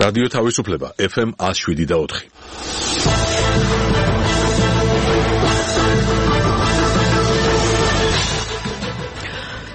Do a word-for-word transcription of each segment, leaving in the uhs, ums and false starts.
რადიო თავისუფლება ეფ ემ one oh seven და four.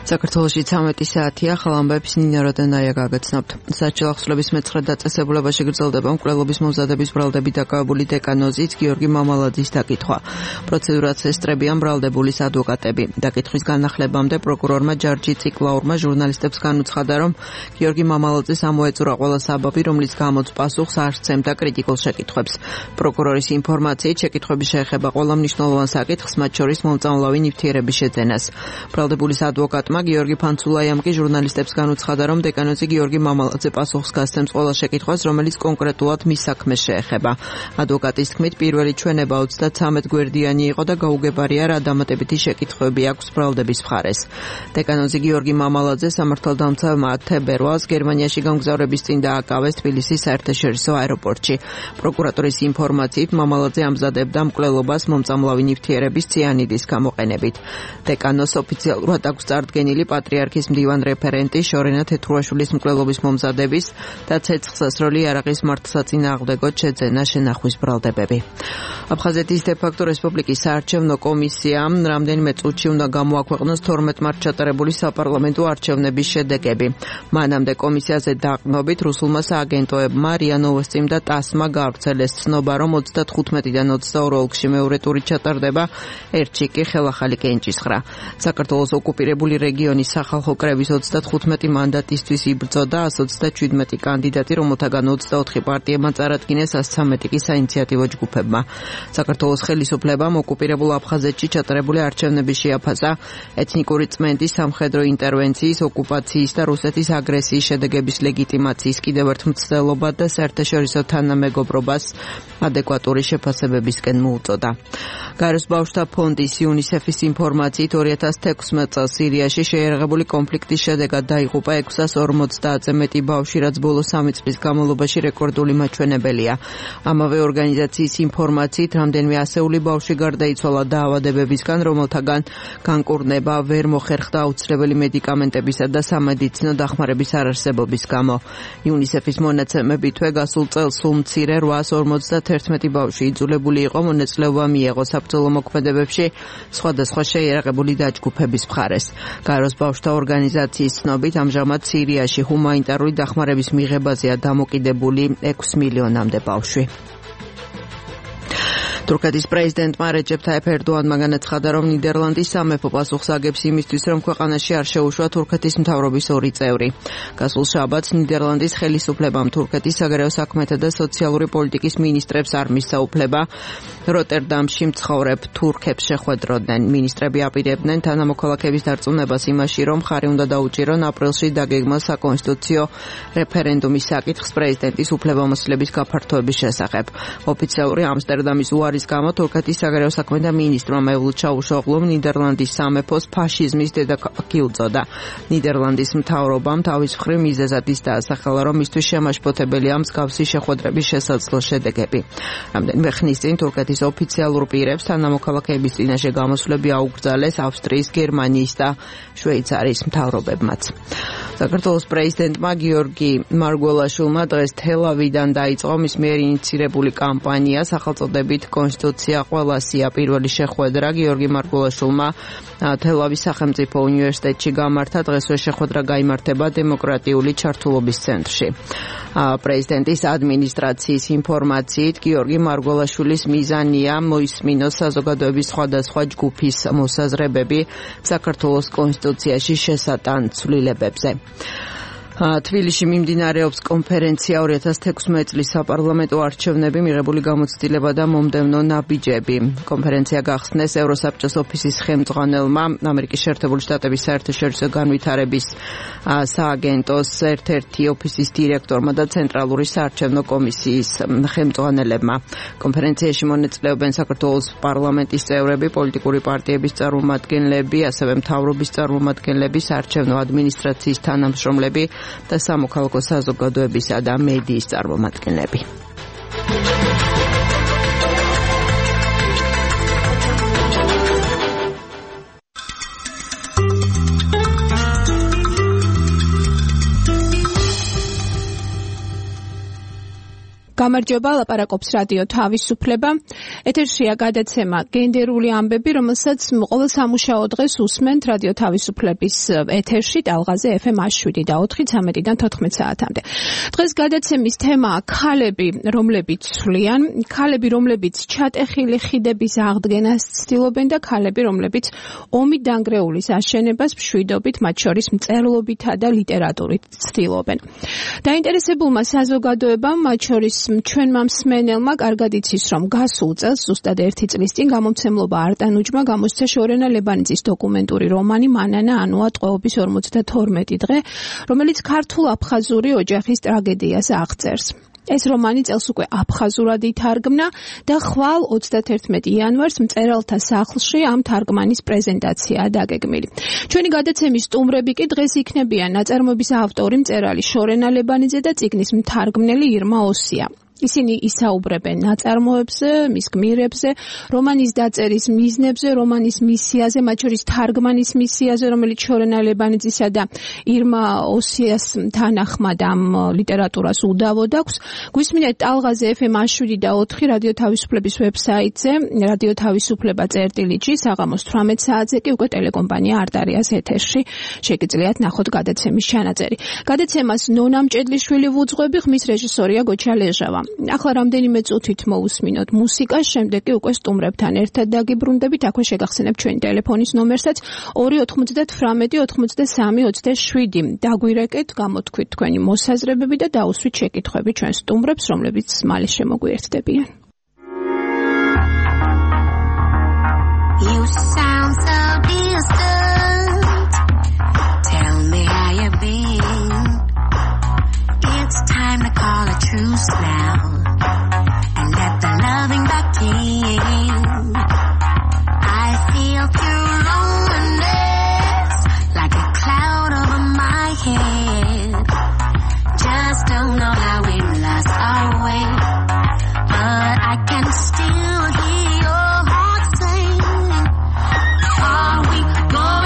საქართველოში ცამეტი საათია, ახალ ამბებს ნინა როდენაია გაგაცნობთ. საჭირო ახსნების მეცხრე დაწესებულებაში გრძელდება მკვლელობის მომზადების ბრალდებით დაკავებული დეკანოზის გიორგი მამალაძის დაკითხვა. პროცედურას ესწრებიან ბრალდებულის ადვოკატები. დაკითხვის განახლებამდე პროკურორმა ჯარჯი ციკლაურმა ჟურნალისტებს განუცხადა, რომ გიორგი მამალაძეს ამოეწურა ყველა საბაბი, რომლის გამოც პასუხს არ სცემდა კრიტიკულ შეკითხვებს. პროკურორის ინფორმაციით, შეკითხვები შეეხება ყველა მნიშვნელოვან საკითხს, მათ შორის მომწამლავი ნივთიერების შეძენას. ბრალდებულის ადვოკატმა გიორგი ფანცულაიამ კი ჟურნალისტებს განუცხადა, რომ დეკანოზი გიორგი მამალაძე პასუხს გასცემს ყველა შეკითხვას, რომელიც კონკრეტულად მის საქმეს შეეხება. ადვოკატის თქმით, პირველი ჩვენება ოცდათვრამეტ გვერდიანი იყო და გაუგებარია, რა დამატებითი შეკითხვები აქვს ბრალდების მხარეს. დეკანოზი გიორგი მამალაძე სამართალდამცავმა თებერვალს გერმანიაში გამგზავრების წინ დააკავეს თბილისის საერთაშორისო აეროპორტში. პროკურატურის ინფორმაციით, მამალაძე ამზადებდა მკვლელობას მომწამლავი ნივთიერების ციანიდის გამოყენებით. დეკანოს ოფიციალურად აქვს წარდგენილი პატრიარქის მდივან რეფერენტი შორენა თეთრუაშვილის მკვლელობის მომზადების და ცეცხლსასროლი იარაღის მართლსაწინააღმდეგო შეძენა შენახვის ბრალდებები. აფხაზეთის დე-ფაქტო რესპუბლიკის საარჩევნო კომისიამ რამდენიმე წუთში უნდა გამოაქვეყნოს თორმეტ მარტს ჩატარებული საპარლამენტო არჩევნების შედეგები. მანამდე კომისიაზე დაყრდნობით რუსულმა სააგენტოებმა რია ნოვოსტიმ და ტასმა გაავრცელეს ცნობა, რომ ოცდათხუთმეტიდან ოცდაორ ოლქში მეორე ტური ჩატარდება, ერთში კი ხელახალი კენჭისხრა. საქართველოს ოკუპირებული რეგიონის სახალხო კრების ოცდათხუთმეტი მანდატისთვის იბრძოდა one hundred twenty-seven კანდიდატი, რომელთაგან ოცდაოთხი პარტიებმა წარადგინეს, one hundred thirteen კი საინიციატივო ჯგუფებმა. საქართველოს ხელისუფლებამ ოკუპირებულ აფხაზეთში ჩატარებული არჩევნების შეაფასა ეთნიკური წმენდის, სამხედრო ინტერვენციის, ოკუპაციის და რუსეთის აგრესიის შედეგების ლეგიტიმაციის კიდევ ერთ მცდელობა და საერთაშორისო თანამეგობრობას ადეკვატური შეფასებებისკენ მოუწოდა. გაეროს ბავშვთა ფონდის იუნისეფის ინფორმაციით two thousand sixteen წელს სირიაში შეიარაღებული კონფლიქტის შედეგად დაიღუპა six hundred forty-ზე მეტი ბავშვი, რაც ბოლო სამი წლის განმავლობაში რეკორდული მაჩვენებელია. ამავე ორგანიზაციის ინფორმაციით, რამდენიმე ასეული ბავშვი გარდაიცვალა დაავადებებისგან, რომელთაგან განკურნება ვერ მოხერხდა აუცილებელი მედიკამენტებისა და სამედიცინო დახმარების არარსებობის გამო. იუნისეფის მონაცემებითვე გასულ წელს სულ მცირე eight hundred forty-one ბავშვი იძულებული იყო მონაწილეობა მიეღო საბრძოლო მოქმედებებში სხვადასხვა შეიარაღებული დაჯგუფების მხარეს. გაეროს ბავშვთა ორგანიზაციის ცნობით, ამჟამად სირიაში ჰუმანიტარული დახმარების მიღებაზეა დამოკიდებული six მილიონამდე ბავშვი. თურქეთის პრეზიდენტმა რეჯეპ თაიფ ერდოანმა განაცხადა, რომ ნიდერლანდის სამეფო პასუხს აგებს იმისთვის, რომ ქვეყანაში არ შეუშვა თურქეთის მთავრობის ორი წევრი. გასულ შაბათს ნიდერლანდის ხელისუფლებამ თურქეთის საგარეო საქმეთა და სოციალური პოლიტიკის მინისტრებს არ მისცა უფლება როტერდამში მცხოვრებ თურქებს შეხვედროდნენ. მინისტრები აპირებდნენ თანამოქალაქეების დარწმუნებას იმაში, რომ ხარი უნდა დაუჭირონ აპრილში დაგეგმილ საკონსტიტუციო რეფერენდუმის საკითხს პრეზიდენტის უფლებამოსილების გაფართოების შესახებ. ოფიციალური ამსტერდამის უარის გამო თურქეთის საგარეო საქმეთა მინისტრმა მევლუდ ჩავუშოღლუმ ნიდერლანდის სამეფოს ფაშიზმის დედაქალაქი უწოდა. ნიდერლანდის მთავრობამ თავის მხრივ მიზეზად ის დაასახელა, რომ მისთვის შემაშფოთებელია მსგავსი შეხვედრების შესაძლო შედეგები. რამდენიმე ხნის წინ თურქეთის ოფიციალურ პირებს თანამოქალაქეების წინაშე გამოსვლები აუკრძალეს ავსტრიის, გერმანიის და შვეიცარიის მთავრობებმაც. საქართველოს პრეზიდენტმა გიორგი მარგველაშვილმა დღეს თელავიდან დაიწყო მის მიერ ინიცირებული კამპანია სახელწოდებით კონსტიტუცია ყველასია. პირველი შეხვედრა გიორგი მარგველაშვილმა თელავის სახელმწიფო უნივერსიტეტში გამართა. დღესვე შეხვედრა გაიმართება დემოკრატიული ჩართულობის ცენტრში. პრეზიდენტის ადმინისტრაციის ინფორმაციით, გიორგი მარგველაშვილის მიზანია მოისმინოს საზოგადოების სხვადასხვა ჯგუფის მოსაზრებები საქართველოს კონსტიტუციაში შესატან ცვლილებებზე. თბილისში მიმდინარეობს კონფერენცია two thousand sixteen წლის საპარლამენტო არჩევნები, მიღებული გამოცდილება და მომდევნო ნაბიჯები. კონფერენცია გახსნეს ევროსაბჭოს ოფისის ხელმძღვანელმა, ამერიკის შეერთებული შტატების საერთაშორისო განვითარების სააგენტოს ერთ-ერთი ოფისის დირექტორმა და ცენტრალური საარჩევნო კომისიის ხელმძღვანელებმა. კონფერენციაში მონაწილეობენ საქართველოს პარლამენტის წევრები, პოლიტიკური პარტიების წარმომადგენლები, ასევე მთავრობის წარმომადგენლები, საარჩევნო ადმინისტრაციის თანამშრომლები და სამოქალაქო საზოგადოებისა და მედიის წარმომადგენლები. გამარჯობა, ლაპარაკობს რადიო თავისუფლება. ეთერშია გადაცემა გენდერული ამბები, რომელსაც ყოველ სამუშაო დღეს უსმენთ რადიო თავისუფლების ეთერში ტალღაზე ეფ ემ შვიდი და ოთხი ცამეტიდან თოთხმეტ საათამდე. დღეს გადაცემის თემაა ქალები, რომლებიც ცვლიან, ქალები, რომლებიც ჩატეხილი ხიდების აღდგენას ცდილობენ და ქალები, რომლებიც ომით დანგრეულის აშენებას მშვიდობით, მათ შორის მწერლობითა და ლიტერატურით ცდილობენ. დაინტერესებულმა საზოგადოებამ, მათ შორის ჩვენმა მსმენელმა კარგად იცის, რომ გასულ წელს ზუსტად ერთი წლის წინ გამომცემლობა არტანუჯმა გამოსცა შორენა ლებანიძის დოკუმენტური რომანი მანანა ანუა ტყვეობის ორმოცდათორმეტი დღე, რომელიც ქართულ-აფხაზური ოჯახის ტრაგედიას აღწერს. ეს რომანი წელს უკვე აფხაზურად ითარგმნა და ხვალ ოცდათერთმეტი იანვარს მწერალთა სახლში ამ თარგმანის პრეზენტაციაა დაგეგმილი. ჩვენი გადაცემის სტუმრები კი დღეს იქნებიან ნაწარმოების ავტორი მწერალი შორენა ლებანიძე და წიგნის მთარგმნელი ირმა ოსია. ისინი ისაუბრებენ ნაწარმოებზე, მის გმირებზე, რომანის დაწერის მიზნებზე, რომანის მისიაზე, მათ შორის თარგმანის მისიაზე, რომელიც შორენა ლებანიძისა და ირმა ოსიას თანახმად ამ ლიტერატურას უდავოდ აქვს. გვისმინეთ ტალღაზე ეფ ემ შვიდი და ოთხი რადიო თავისუფლების ვებსაიტზე, რადიო თავისუფლება წერტილი ჯი, საღამოს თვრამეტ საათზე კი უკვე ტელეკომპანია არტარიას ეთერში შეგიძლიათ ნახოთ გადაცემის ჩანაწერი. გადაცემას ნონა მჭედლიშვილი ვუძღვები, ხმის რეჟისორია გოჩა ლეჟავა. ახლა რამდენიმე წუთით მოусმინოთ მუსიკას, შემდეგ კი უკვე სტუმრებთან ერთად დაგიბრუნდებით. აქვე შეგახსენებთ ჩვენი ტელეფონის ნომერსაც ორი ოთხმოცდათვრამეტი ოცდასამი ოცდაშვიდი. დაგვირეკეთ, გამოთქვით თქვენი მოსაზრებები და დაუსვით შეკითხვები ჩვენ სტუმრებს, რომლებიც მალე შემოგვიერთდებიან. You sound so distant. Tell me how you've been. It's time to call a truce now and let the loving back in. I feel pure loneliness like a cloud over my head. Just don't know how we lost our way, but I can still hear your heart sing. Are we going?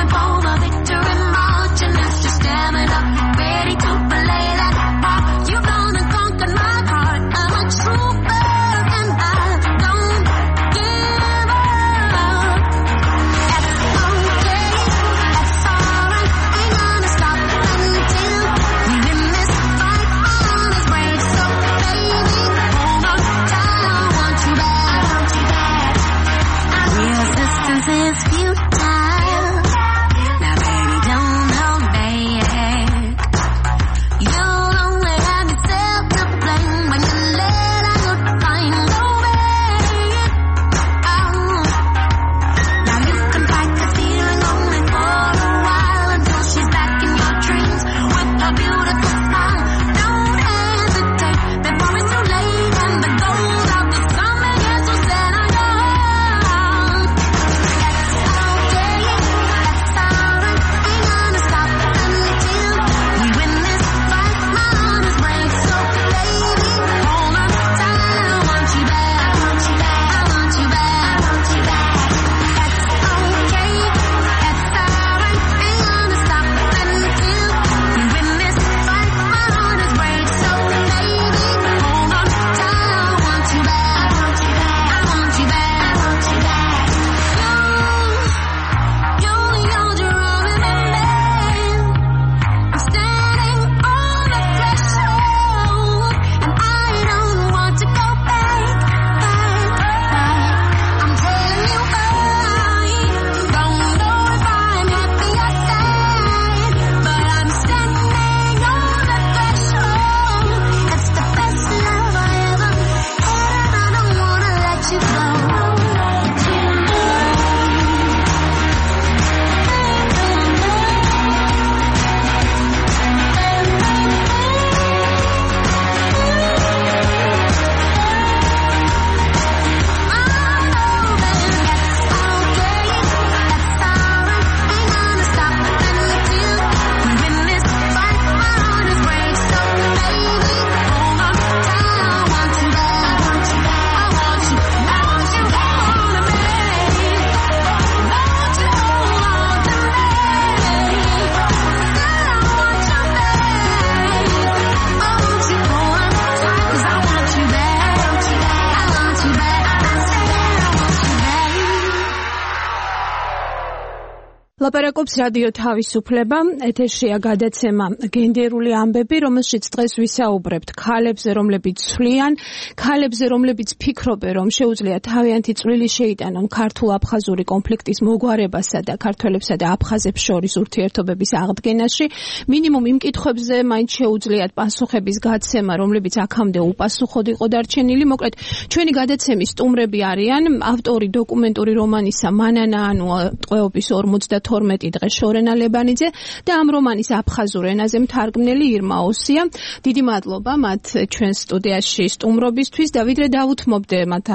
ლაპარაკობს რადიო თავისუფლება, ეთერშია გადაცემა გენდერული ამბები, რომელშიც დღეს ვისაუბრებთ ქალებზე, რომლებიც ცვლიან, ქალებზე, რომლებიც ფიქრობენ, რომ შეუძლია თავიანთი წვლილი შეიტანონ ქართულ-აფხაზური კონფლიქტის მოგვარებასა და ქართველებსა და აფხაზებს შორის ურთიერთობების აღდგენაში. მინიმუმ იმ კითხვებზე მაინც შეუძლიათ პასუხების გაცემა, რომლებიც აქამდე უპასუხოდ იყო დარჩენილი. მოკლედ, ჩვენი გადაცემის სტუმრები არიან ავტორი დოკუმენტური რომანისა მანანა ანუა ტყვეობის ორმოცდათორმეტი დღე შორენა ლებანიძე და ამ რომანის აფხაზურ ენაზე მთარგმნელი ირმა ოსია. დიდი მადლობა მათ ჩვენს სტუდიაში სტუმრობისთვის და ვიდრე დავუთმობდე მათ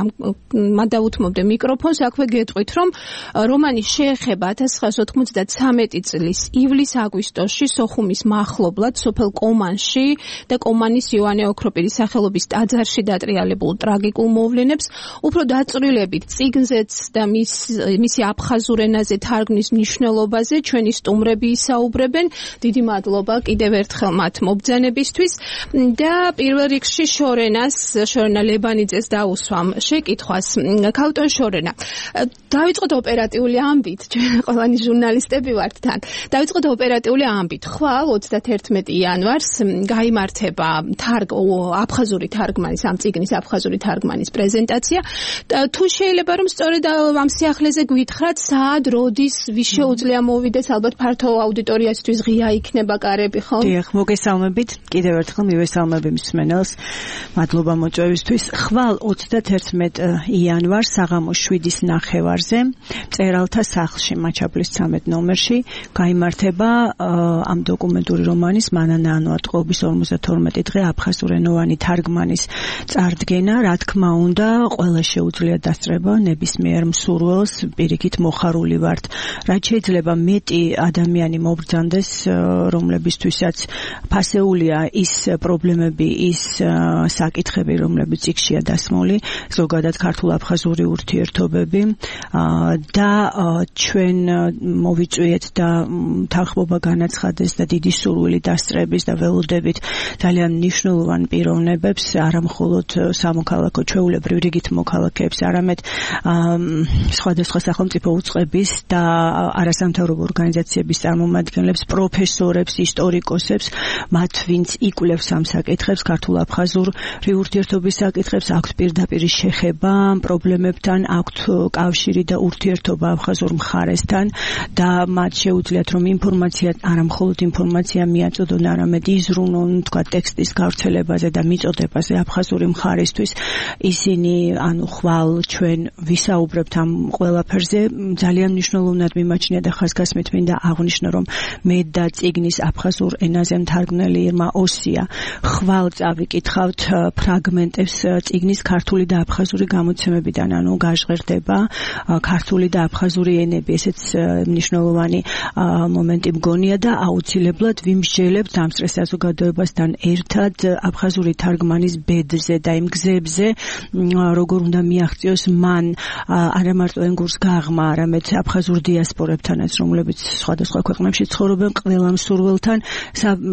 მათ დავუთმობდე მიკროფონს, აქვე გეტყვით, რომ რომანი შეეხება ათას ცხრაასი ოთხმოცდათრამეტი წლის ივლის-აგვისტოში სოხუმის მახლობლად სოფელ კომანში და კომანის იოანე ოქროპირის სახელობის ტაძარში დატრიალებულ ტრაგიკულ მოვლენებს. უფრო დაწვრილებით წიგნზეც და მის მისი აფხაზურ ენაზე თარგმნის მნიშვნელობაზე ჩვენი სტუმრები ისაუბრებენ. დიდი მადლობა კიდევ ერთხელ მათ მობრძანებისთვის და პირველ რიგში შორენას, შორენა ლებანიძეს დაუსვამ შეკითხვას. ქალტონ შორენა, დავიწყოთ ოპერატიული ამბით, ჩვენ ყველანი ჟურნალისტები ვართ თან. დავიწყოთ ოპერატიული ამბით. ხვალ ოცდათერთმეტი იანვარს გაიმართება თარგ აფხაზური თარგმანის, ამ წიგნის აფხაზური თარგმანის პრეზენტაცია. თუ შეიძლება რომ სწორედ ამ სიახლეზე გვითხრათ, საად, როდის, ვის შეუძლია მოვიდეს, ალბათ ფართო აუდიტორიასთვის ღია იქნება კარები, ხო? დიახ, მოგესალმებით. კიდევ ერთხელ მივესალმები მსმენელს. მადლობა მოწვევისთვის. ხვალ ოცდათერთმეტი იანვარს საღამოს შვიდის ნახევარზე მწერალთა სახლში, მაჩაბლის ცამეტ ნომერში გაიმართება ამ დოკუმენტური რომანის მანანა ანუა ტყვეობის ორმოცდათორმეტი დღე აფხაზურენოვანი თარგმანის წარდგენა. რა თქმა უნდა, ყველა შეუძლია დასწრება ნებისმიერ მსურველს, პირიქით მოხარული ვართ. რაც შეიძლება მეტი ადამიანი მობრძანდეს, რომლებისთვისაც ფასეულია ის პრობლემები, ის საკითხები, რომლებიც იქშია დასმული, ზოგადად ქართულ-აფხაზური ურთიერთობები და ჩვენ მოვიწვიეთ და თანხმობა განაცხადეს და დიდი სურვილი დასწრების და ველოდებით ძალიან მნიშვნელოვან პიროვნებებს, არა მხოლოდ სამოქალაქო ჩვეულებრივ რიგით მოქალაქეებს, არამედ სხვადასხვა სახელმწიფო უწყების და არასამთავრობო ორგანიზაციების წარმომადგენლებს, პროფესორებს, ისტორიკოსებს, მათ ვინც იკვლევს ამ საკითხებს, ქართულ-აფხაზური ურთიერთობის საკითხებს, აქვთ პირდაპირ შეხება ამ პრობლემებთან, აქვთ კავშირი და ურთიერთობა აფხაზურ მხარესთან და მათ შეუძლიათ რომ ინფორმაცია, არა მხოლოდ ინფორმაცია მიაწოდონ, არამედ იზრუნონ, თქვა ტექსტის გავრცელებაზე და მიწოდებაზე აფხაზური მხარისთვის. ისინი, ანუ ხვალ ჩვენ ვისაუბრებთ ამ ყველაფერზე, ძალიან მნიშვნელოვნად მიმაჩნია და ხაზგასმით მინდა აღვნიშნო, რომ მე და წიგნის აფხაზურ ენაზე მთარგმნელი ირმა ოსია ხვალ წავიკითხავთ ფრაგმენტებს წიგნის ქართული და აფხაზური გამოცემებიდან, ანუ გაჟღერდება ქართული და აფხაზური ენები, ესეც მნიშვნელოვანი მომენტი მგონია და აუცილებლად ვიმსჯელებთ ამ წრეს საზოგადოებასთან ერთად აფხაზური თარგმანის ბედზე და იმ გზებზე, როგორ უნდა მიაღწიოს მან არა მარტო ენგურს გაღმა, არამედ აფხაზურ დიასპორებთანაც, რომლებიც სხვადასხვა ქვეყნებში ცხოვრობენ, ყველა მსურველთან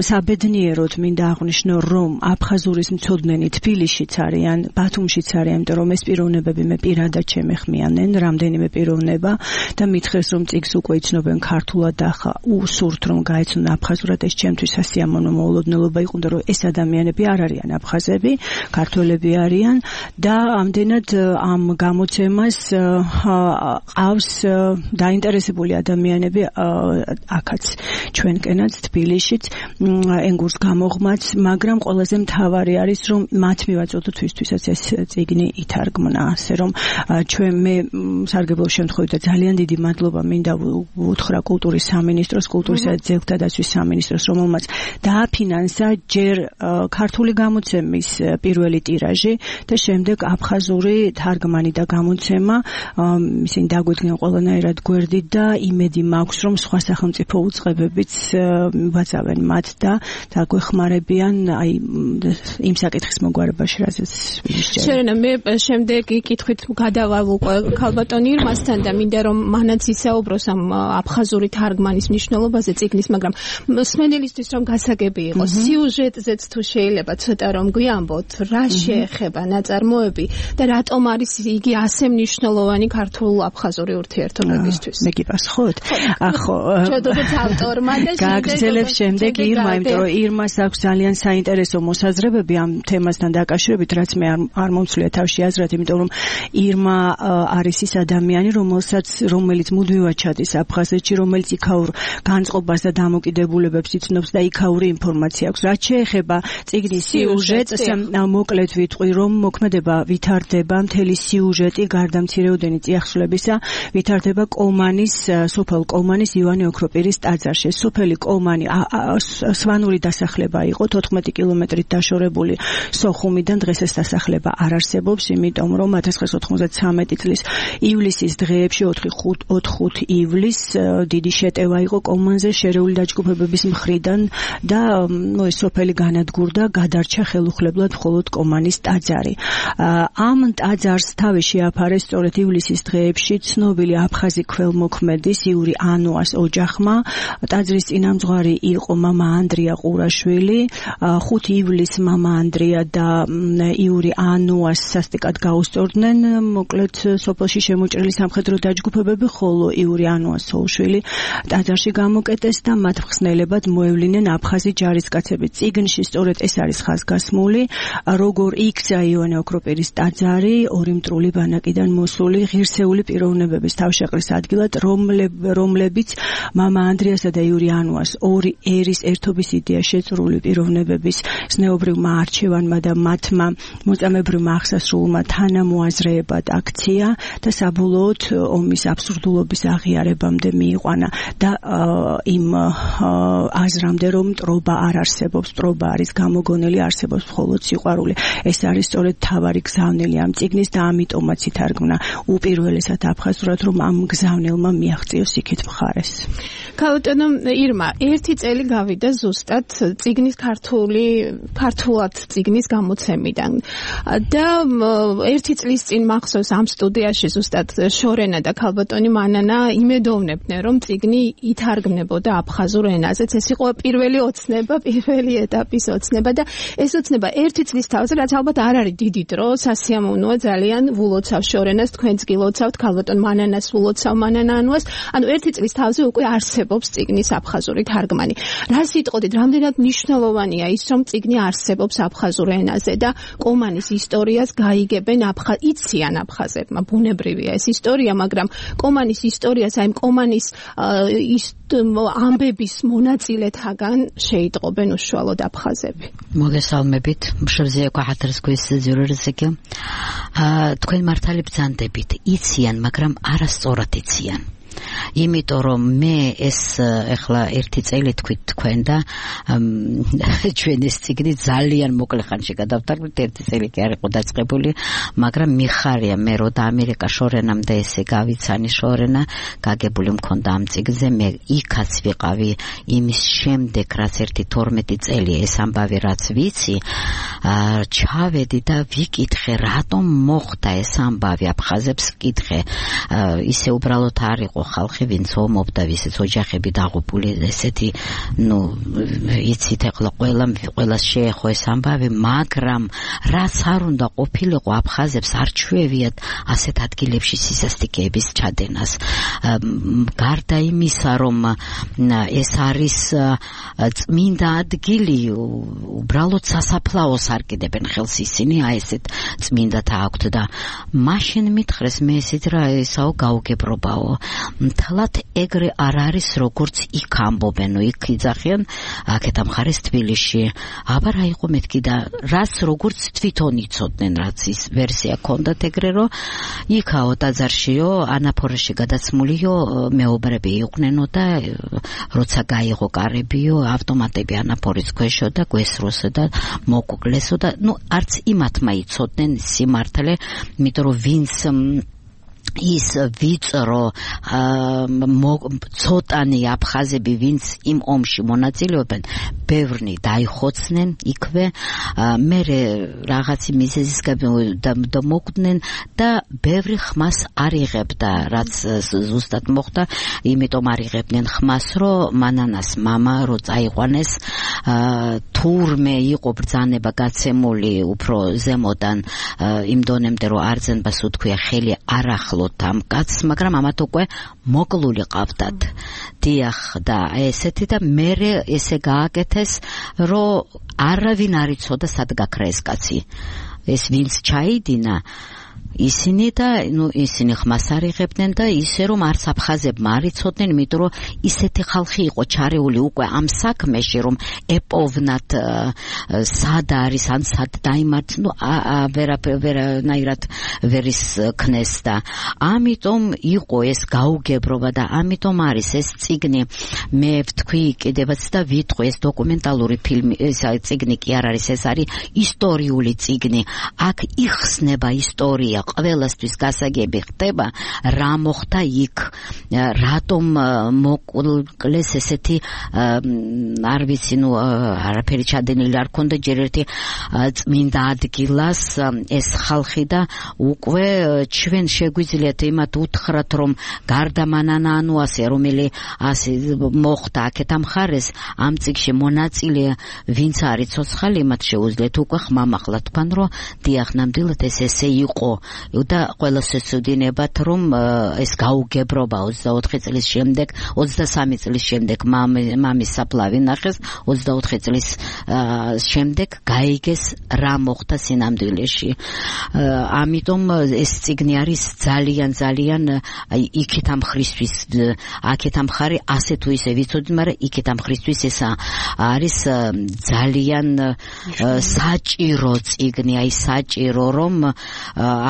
საბედნიეროდ მინდა აღვნიშნო, რომ აფხაზურის მცოდნენი თბილისშიც არიან, ბათუმშიც არიან, იმიტომ რომ ეს პიროვნებები მე პირადად შემეხმიანენ, რამდენიმე პიროვნება და მითხრეს, რომ წიგს უკვე იცნობენ ქართულად და ახლა უსურთ რომ გაეცნონ აფხაზურად, ეს ჩემთვის სასიამოვნო მოულოდნელობა იყო, რომ ეს ადამიანები არ არიან აფხაზები, ქართველები არიან და ამდენად ამ გამოცემას ყავს დაინტერესებული ადამიანები აქაც ჩვენკენაც თბილისშიც ენგურს გამოღმაც, მაგრამ ყველაზე მთავარი არის რომ მათ მივაწოდოთ ვისთვისაც ეს წიგნი ითარგმნა, ასე რომ ჩვენ მე სარგებლო შემთხვევით და ძალიან დიდი მადლობა მინდა უთხრა კულტურის სამინისტროს, კულტურისა და ძეგლთა დაცვის სამინისტროს, რომელმაც დააფინანსა ჯერ ქართული გამოცემის პირველი ტირაჟი და შემდეგ აფხაზური თარგმანი და გამოცემა. ისინი დაგვიდგნენ ყველანაირად გვერდით და იმედი მაქვს რომ სხვა სახელმწიფო უწყებებიც ვაწავენ მათ და დაგვეხმარებიან აი იმ საკითხის მოგვარებაში, რაზეც ვისჯერე. შერენა, მე შემდეგი კითხვით გადავალ უკვე ქალბატონ ირმასთან და მინდა რომ მანაც ისაუბროს ამ აფხაზური თარგმანის მნიშვნელობაზე წიგნის, მაგრამ მსმენელისთვის რომ გასაგები იყოს, სიუჟეტზეც თუ შეიძლება ცოტა რომ გვიამბოთ, რა შეეხება ნაწარმოები და რატომ არის იგი ასე მნიშვნელოვანი ქართულ-აფხაზური ურთიერთობებისთვის? მე გიპასუხო, ვიყოთ. ახო შედოთ ავტორმა და გაგრძელებ შემდეგ ირმა, იმიტომ რომ ირმას აქვს ძალიან საინტერესო მოსაზრებები ამ თემასთან დაკავშირებით, რაც მე არ მომცვლია თავში აზრად, იმიტომ რომ ირმა არის ის ადამიანი, რომელსაც რომელიც მუდმივად ჩადის აფხაზეთში, რომელიც იქაურ განწყობას და დამოკიდებულებებს იცნობს და იქაური ინფორმაცია აქვს. რაც შეეხება წიგნის სიუჟეტს, მოკლედ ვიტყვი, რომ მოქმედება ვითარდება მთელი სიუჟეტი გარდა მცირეოდენი წიაღსვლებისა, ვითარდება კომანის, სოფელ კომანის ივანე ოქროპირის ტაძარში. სოფელი კომანი სვანური დასახლება იყო, თოთხმეტი კილომეტრით დაშორებული სოხუმიდან. დღეს ეს დასახლება არ არსებობს, იმიტომ რომ ათას ცხრაასი ოთხმოცდათვრამეტი წლის ივლისის დღეებში ოთხ ივლისს დიდი შეტევა იყო კომანზე შერეული დაჯგუფებების მხრიდან და ნუ ეს სოფელი განადგურდა, გადარჩა ხელუხლებლად მხოლოდ კომანის ტაძარი. ამ ტაძარს თავი შეაფარეს სწორედ ივლისის დღეებში ცნობილი აფხაზი ქველმოქმედის იური ანუას ოჯახმა. ტაძრის წინამძღვარი იყო მამა ანდრია ყურაშვილი. ხუთი ივლისს მამა ანდრია და იური ანუას სასტიკად გაუსწორდნენ, მოკლედ სოფელში შემოჭრილი სამხედრო დაჯგუფებები, ხოლო იური ანუას სოუშვილი ტაძარში გამოკეტეს და მათ მხსნელებად მოევლინენ აფხაზი ჯარისკაცები. წიგნში სწორედ ეს არის ხაზგასმული, როგორ იქცა ივანე ოქროპირის ტაძარი ორი მტრული ბანაკიდან მოსული ღირსეული პიროვნებების თავშეყრის ადგილად, რომლებიც მამა ანდრიასა და იური ანუას ორი ერის ერთობის იდეა შეწრული პიროვნებების ზნეობრივმა არჩევანმა და მათმა მოწამებრივმა აღსასრულმა თანამოაზრეებად აქცია და საბოლოოდ ომის აბსურდულობის აღიარებამდე მიიყვანა და იმ აზრამდე, რომ მტრობა არ არსებობს, მტრობა არის გამოგონილი, არსებობს მხოლოდ სიყვარული. ეს არის სწორედ თავარი გზავნილი ამ წიგნის და ამიტომაც ითარგმნა უპირველესად აფხაზურად, რომ ამ გზავნილმა მიაღწიოს იქით მხარეს. ქალბატონო ირმა, ერთი წელი გავიდა ზუსტად წიგნის ქართული ქართულად წიგნის გამოცემიდან და ერთი წლის წინ მახსოვს ამ სტუდიაში ზუსტად შორენა და ქალბატონი მანანა იმედოვნებდნენ, რომ წიგნი ითარგმნებოდა აფხაზურ ენაზეც. ეს იყო პირველი ოცნება, პირველი ეტაპის ოცნება და ეს ოცნება ერთი წლის თავზე, რაც ალბათ არ არის დიდი დრო, სასიამოვნოა ძალიან, ვულოცავ შორენას, თქვენც გილოცავთ, ქალბატონ მანანას ვულოცავ, მანანა ანუას, ანუ ერთი წლის თავზე უკვე არსებობს წიგნის აფხაზური თარგმანი. რა სიტყოდით, რამდენად მნიშვნელოვანია ის, რომ წიგნი არსებობს აფხაზურ ენაზე და კომანის ისტორიას გაიგებენ აფხაზ, იციან აფხაზებმა, ბუნებრივია ეს ისტორია, მაგრამ კომანის ისტორიას, აი კომანის ამბების მონაწილეთაგან შეიტყობენ უშუალოდ აფხაზები. მოგესალმებით, მშრზია ქვახათრსკვის ზურერზეკი. თქვენ მართალი ბრძანდებით, იციან, მაგრამ არასწორად იციან. იმიტომ რომ მე ეს ეხლა ერთი წელი თქვით თქვენ და ჩვენ ეს წიგნი ძალიან მოკლე ხანში გადავთარგმნით, ერთი წელი კი არ იყო დაწყებული, მაგრამ მიხარია მე რო და ამერიკა შორენამდე ესე გავიცანი შორენა გაგებული მქონდა ამ წიგნზე, მე იქაც ვიყავი იმის შემდეგ, რაც ერთი თორმეტი წელი ეს ამბავი რაც ვიცი, ჩავედი და ვიკითხე რატომ მოხდა ეს ამბავი აფხაზებს ვკითხე, ისე უბრალოდ არ იყო ხალხი ვინც ომობდა, ვისიც ოჯახები დაღუპული, ესეთი, ნუ იცით ეხლა ყველა ყველას შეეხო ეს ამბავი, მაგრამ რაც არ უნდა ყოფილიყო აფხაზებს არ ჩვევიათ ასეთ ადგილებში სისასტიკეების ჩადენას. გარდა იმისა, რომ ეს არის წმინდა ადგილი, უბრალოდ სასაფლაოს არ კიდებენ ხელს ისინი, აი ესეთ წმინდათა აქვთ და მაშინ მითხრეს მე ესეთ რა ესაო გაუგებრობაო. მთლად ეგრე არ არის, როგორც იქ ამბობენ, იქ იძახიან აქეთ ამ მხარეს თბილისში. აბა რა იყო მეთქი და რას როგორც თვითონ იცოდნენ, რაც ის ვერსია ქონდათ ეგრე, რომ იქაო ტაძარშიო, ანაფორეში გადაცმულიო მეუბრები იყვნენო და როცა გაიღო კარებიო, ავტომატები ანაფორის ქვეშო და გვესროსო და მოკუკლესო და ნუ არც იმათმა იცოდნენ სიმართლე, იმიტომ რომ ვინც ის ვიწრო ცოტანი აფხაზები ვინც იმ ომში მონაწილეობენ, ბევრნი დაიხოცნენ იქვე, მერე რაღაცი მიზეზის გამო მოკვდნენ და ბევრი ხმას არ იღებდა, რაც ზუსტად მოხდა, იმიტომ არ იღებდნენ ხმას, რომ მანანას მამა რო წაიყვანეს, თურმე იყო ბრძანება გაცემული უფრო ზემოდან იმ დონემდე, რომ არძენბას უთქვია ხელი არ ახლო ვნახულოთ ამ კაცს, მაგრამ ამათ უკვე მოკლული ყავდათ. დიახ, და ესეთი და მერე ესე გააკეთეს, რომ არავინ არ იცოდა სად გაქრა ეს კაცი. ეს ვინც ჩაიდინა ისინი და ნუ ისინი ხმას არ იღებდნენ და ისე რომ არც აფხაზებმა არ იცოდნენ, იმიტომ რომ ისეთი ხალხი იყო ჩარეული უკვე ამ საქმეში, რომ ეპოვნათ სად არის ან სად დაიმართ, ნუ ვერანაირად ვერ ისქნეს და ამიტომ იყო ეს გაუგებრობა და ამიტომ არის ეს წიგნი. მე ვთქვი კიდევაც და ვიტყვი, ეს დოკუმენტალური ფილმი, ეს წიგნი კი არ არის, ეს არის ისტორიული წიგნი. აქ იხსნება ისტორია, ყველასთვის გასაგები ხდება, რა მოხდა იქ, რატომ მოკლეს ესეთი არ ვიცი, ნუ არაფერი ჩადენილი არ ქონდა ჯერ ერთი წმინდა ადგილას ეს ხალხი და უკვე ჩვენ შეგვიძლიათ იმათ უთხრათ, რომ გარდა მანანა ანუ ასე რომელი ასე მოხდა აქეთ ამ ხარეს ამ წიგში მონაწილე ვინც არის ცოცხალი, მათ შეუძლიათ უკვე ხმამაღლა თქვან, რომ დიახ, ნამდვილად ეს ესე იყო და ყველას ეცოდინებათ, რომ ეს გაუგებრობა ოცდაოთხი წლის შემდეგ, ოცდასამი წლის შემდეგ მამის საფლავი ნახეს, ოცდაოთხი წლის შემდეგ გაიგეს რა მოხდა სინამდვილეში. ამიტომ ეს წიგნი არის ძალიან ძალიან იქით ამ ხრისთვის, აქეთ ამ ხარი ასე თუ ისე ვიცოდი, მაგრამ იქით ამ ხრისთვის ეს არის ძალიან საჭირო წიგნი, აი საჭირო, რომ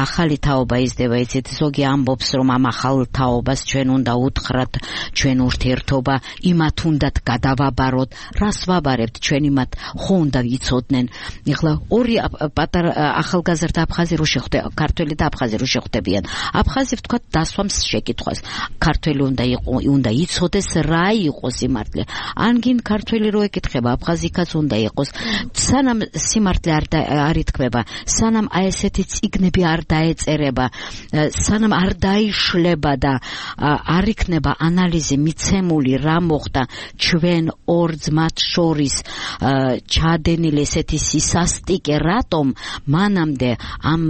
ახალი თაობა იზრდება, იცით, ზოგი ამბობს, რომ ამ ახალ თაობას ჩვენ უნდა უთხრათ, ჩვენ ურთიერთობა იმათ უნდათ გადავაბაროთ, რას ვაბარებთ, ჩვენ იმათ ხო უნდა ვიცოდნენ. ეხლა ორი პატარა ახალგაზრდა აფხაზი რო შეხვდება, ქართველი და აფხაზი რო შეხვდებიან, აფხაზი ვთქვათ დასვამს შეკითხვას, ქართველი უნდა იყო, უნდა იცოდეს რა იყო სიმართლე. ან გინ ქართველი რო ეკითხება, აფხაზიკაც უნდა იყოს. სანამ სიმართლე არ არ ითქმება, სანამ აი ესეთი წიგნები არ დაეწერება, სანამ არ დაიშლება და არ იქნება ანალიზი მიცემული რა მოხდა ჩვენ ორ ძმათ შორის ჩადენილი ესეთი სისასტიკე, რატომ მანამდე ამ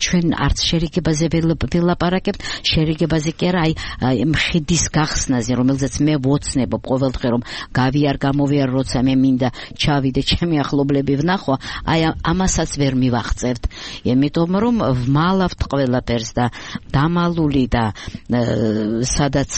ჩვენ არც შერიგებაზე ველაპარაკებთ, შერიგებაზე კი არა, აი მხედის გახსნაზე, რომელზეც მე ვოცნებობ ყოველდღე, რომ გავიარ გამოვიარ, როცა მე მინდა ჩავიდე ჩემი ახლობლები ვნახო, აი ამასაც ვერ მივახწევთ, იმიტომ რომ ვმალავთ ყველაფერს და დამალული და სადაც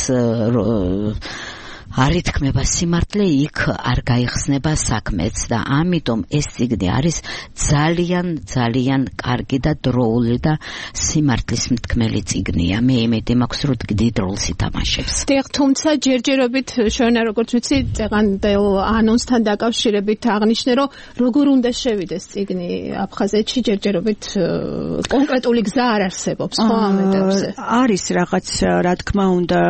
არ ითქმება სიმართლე, იქ არ გაიხსნება საქმეც და ამიტომ ეს წიგნი არის ძალიან ძალიან კარგი და დროული და სიმართლის მთქმელი წიგნია. მე იმედი მაქვს, რომ დიდ როლს ითამაშებს. დიახ, თუმცა ჯერჯერობით შონა, როგორც ვიცი, წეღანდელ ანონსთან დაკავშირებით აღნიშნე, რომ როგორ უნდა შევიდეს წიგნი აფხაზეთში, ჯერჯერობით კონკრეტული გზა არ არსებობს, ხო ამ ეტაპზე? არის რაღაც, რა თქმა უნდა,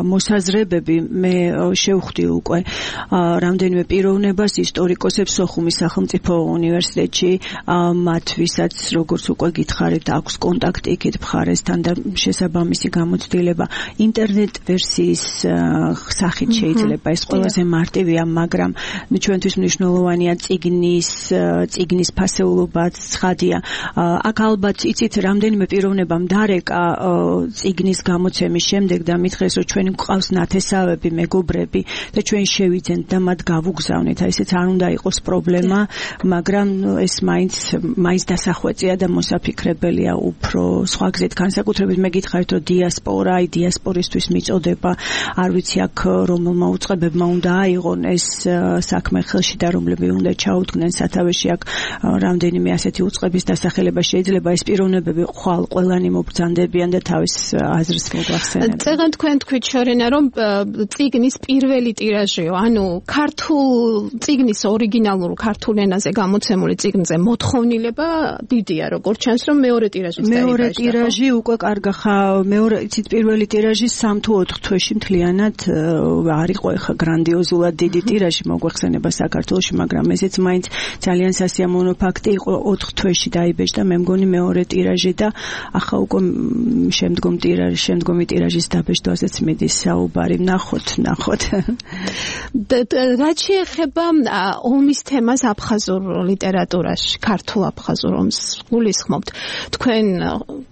მოსაზრებები. მე შევხვდი უკვე რამდენიმე პიროვნებას, ისტორიკოსებს სოხუმის სახელმწიფო უნივერსიტეტში, მათ ვისაც როგორც უკვე გითხარით, აქვს კონტაქტი იქით მხარესთან და შესაბამისი გამოცდილება ინტერნეტ ვერსიის სახით შეიძლება. ეს ყველაზე მარტივია, მაგრამ ჩვენთვის მნიშვნელოვანია წიგნის წიგნის ფასეულობაც ცხადია. აქ ალბათ იცით, რამდენიმე პიროვნებამ დარეკა წიგნის გამოცემის შემდეგ და მითხრეს, რომ ჩვენ გვყავს ნათესავები, მეგობრები და ჩვენ შევიძენთ და მათ გავუგზავნეთ. აი ესეც არ უნდა იყოს პრობლემა, მაგრამ ეს მაინც მაინც დასახვეწია და მოსაფიქრებელია უფრო სხვა გზით. განსაკუთრებით მე გითხარით, რომ დიასპორა, აი დიასპორისთვის მიწოდება, არ ვიცი აქ რომელმა უწყებებმა უნდა აიღონ ეს საქმე ხელში და რომლები უნდა ჩაუდგნენ სათავეში. აქ რამდენიმე ასეთი უწყების დასახელება შეიძლება, ეს პიროვნებები ხვალ ყველანი მობრძანდებიან და თავის აზრს მოგახსენებენ. წეგან თქვენ თქვით შორენა, რომ წიგნის პირველი ტირაჟიო, ანუ ქართულ წიგნის ორიგინალურ ქართულ ენაზე გამოცემული წიგნზე მოთხოვნილება დიდია, როგორც ჩანს, რომ მეორე ტირაჟის დაიბაშდა. მეორე ტირაჟი უკვე კარგახა, მეორე იცით, პირველი ტირაჟი სამ თუ ოთხ თვეში მთლიანად არ იყო ეხა გრანდიოზულად დიდი ტირაჟი მოგვეხსენება საქართველოში, მაგრამ ესეც მაინც ძალიან სასიამოვნო ფაქტი იყო, ოთხ თვეში დაიბეჭდა, მე მგონი მეორე ტირაჟი და ახლა უკვე შემდგომ ტირაჟი, შემდგომი ტირაჟის დაბეჭდვაზეც მიდის საუბარი. ნახოთ, ნახოთ. ვთქვათ. რაც შეეხება ომის თემას აფხაზურ ლიტერატურაში, ქართულ აფხაზურ ომს გულისხმობთ. თქვენ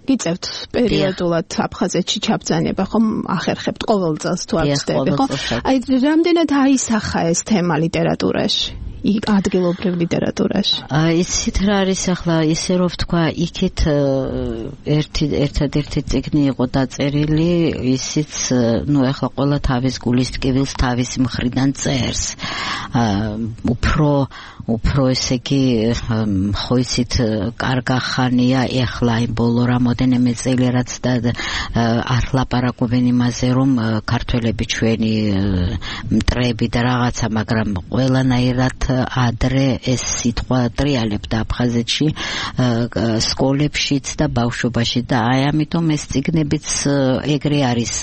გიწევთ პერიოდულად აფხაზეთში ჩაბრძანება, ხომ ახერხებთ ყოველ წელს თუ არ ვცდები, ხო? აი, რამდენად აისახა ეს თემა ლიტერატურაში? იქ ადგილობრივ ლიტერატურაში. იცით რა არის ახლა ისე რომ ვთქვა, იქით ერთი ერთადერთი წიგნი იყო დაწერილი, ისიც ნუ ახლა ყველა თავის გულის ტკივილს თავისი მხრიდან წერს. უფრო უფრო ესე იგი ხო იცით კარგა ხანია ეხლა იმ ბოლო რამოდენიმე წელი რაც და არ ლაპარაკობენ იმაზე რომ ქართველები ჩვენი მტრები და რაღაცა, მაგრამ ყველანაირად ადრე ეს სიტყვა ტრიალებდა აფხაზეთში სკოლებშიც და ბავშვობაში და აი ამიტომ ეს წიგნებიც ეგრე არის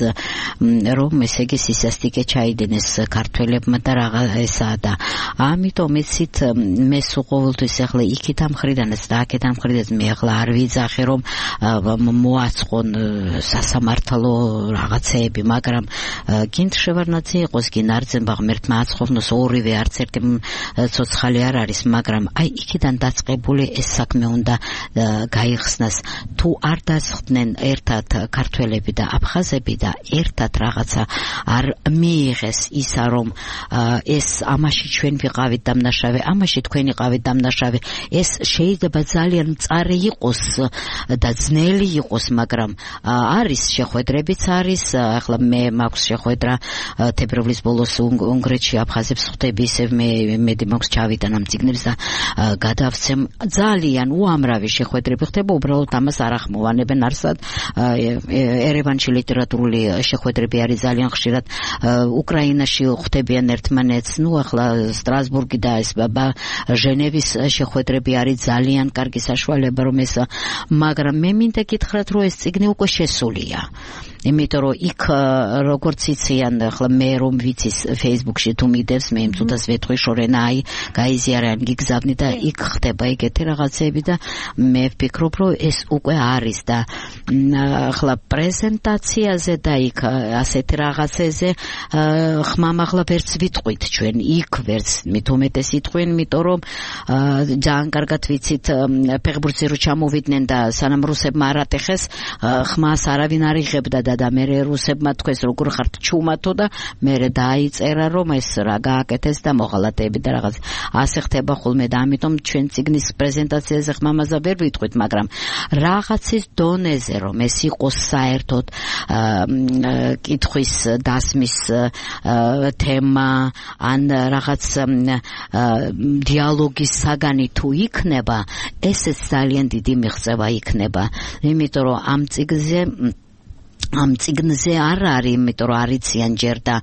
რომ ესე იგი სისასტიკე ჩაიდინეს ქართველებმა და რაღა ესაა და ამიტომ იცით მე სულ ყოველთვის ახლა იქით ამ მხრიდანაც და აქეთ ამ მხრიდანაც მე ახლა არ ვიძახე რომ მოაწყონ სასამართლო რაღაცეები, მაგრამ გინდ შევარნაძე იყოს, გინ არძენბაღ მერთმა აწყოვნოს ორივე არც ერთი ცოცხალი არ არის, მაგრამ აი იქიდან დაწყებული ეს საქმე უნდა გაიხსნას. თუ არ დასხდნენ ერთად ქართველები და აფხაზები და ერთად რაღაცა არ მიიღეს ისა რომ ეს ამაში ჩვენ ვიყავით დამნაშავე, ამაში თქვენ იყავით დამნაშავე, ეს შეიძლება ძალიან მწარე იყოს და ძნელი იყოს, მაგრამ არის შეხვედრებიც არის. ახლა მე მაქვს შეხვედრა თებერვლის ბოლოს უნგრეთში აფხაზებს ხვდები, ისევ მე მედი მაქვს ჩავიტან ამ წიგნებს და გადავცემ. ძალიან უამრავი შეხვედრები ხდება, უბრალოდ ამას არ ახმოვანებენ არსად. ერევანში ლიტერატურული შეხვედრები არის ძალიან ხშირად, უკრაინაში ხვდებიან ერთმანეთს, ნუ ახლა სტრასბურგი და ეს ჟენევის შეხვედრები არის ძალიან კარგი საშუალება რომ ეს, მაგრამ მე მინდა გითხრათ რომ ეს წიგნი უკვე შესულია. იმიტომ რომ იქ როგორც იციან ახლა მე რომ ვიცის Facebook-ში თუ მიდევს მე იმ წუთას ვეთქვი შორენა აი გაიზიარან გიგზავნი და იქ ხდება ეგეთი რაღაცები და მე ვფიქრობ რომ ეს უკვე არის და ახლა პრეზენტაციაზე და იქ ასეთი რაღაცეზე ხმამაღლა ვერც ვიტყვით ჩვენ იქ ვერც მით უმეტეს იტყვენ, იმიტომ რომ ძალიან კარგად ვიცით ფეხბურთზე რო ჩამოვიდნენ და სანამ რუსებმა არ ატეხეს ხმას არავინ არ იღებდა და მე რუსებმა თქვეს როგორ ხართ ჩუმათო და მე დაიწერა რომ ეს რა გააკეთეს და მოღალატეები და რაღაც ასე ხდება ხოლმე და ამიტომ ჩვენ წიგნის პრეზენტაციაზე ხმამაზა ვერ ვიტყვით, მაგრამ რაღაცის დონეზე რომ ეს იყოს საერთოდ კითხვის დასმის თემა ან რაღაც დიალოგის საგანი თუ იქნება, ესეც ძალიან დიდი მიღწევა იქნება, იმიტომ რომ ამ წიგნზე ამ წიგნზე არ არის, იმიტომ რომ არიციან ჯერ და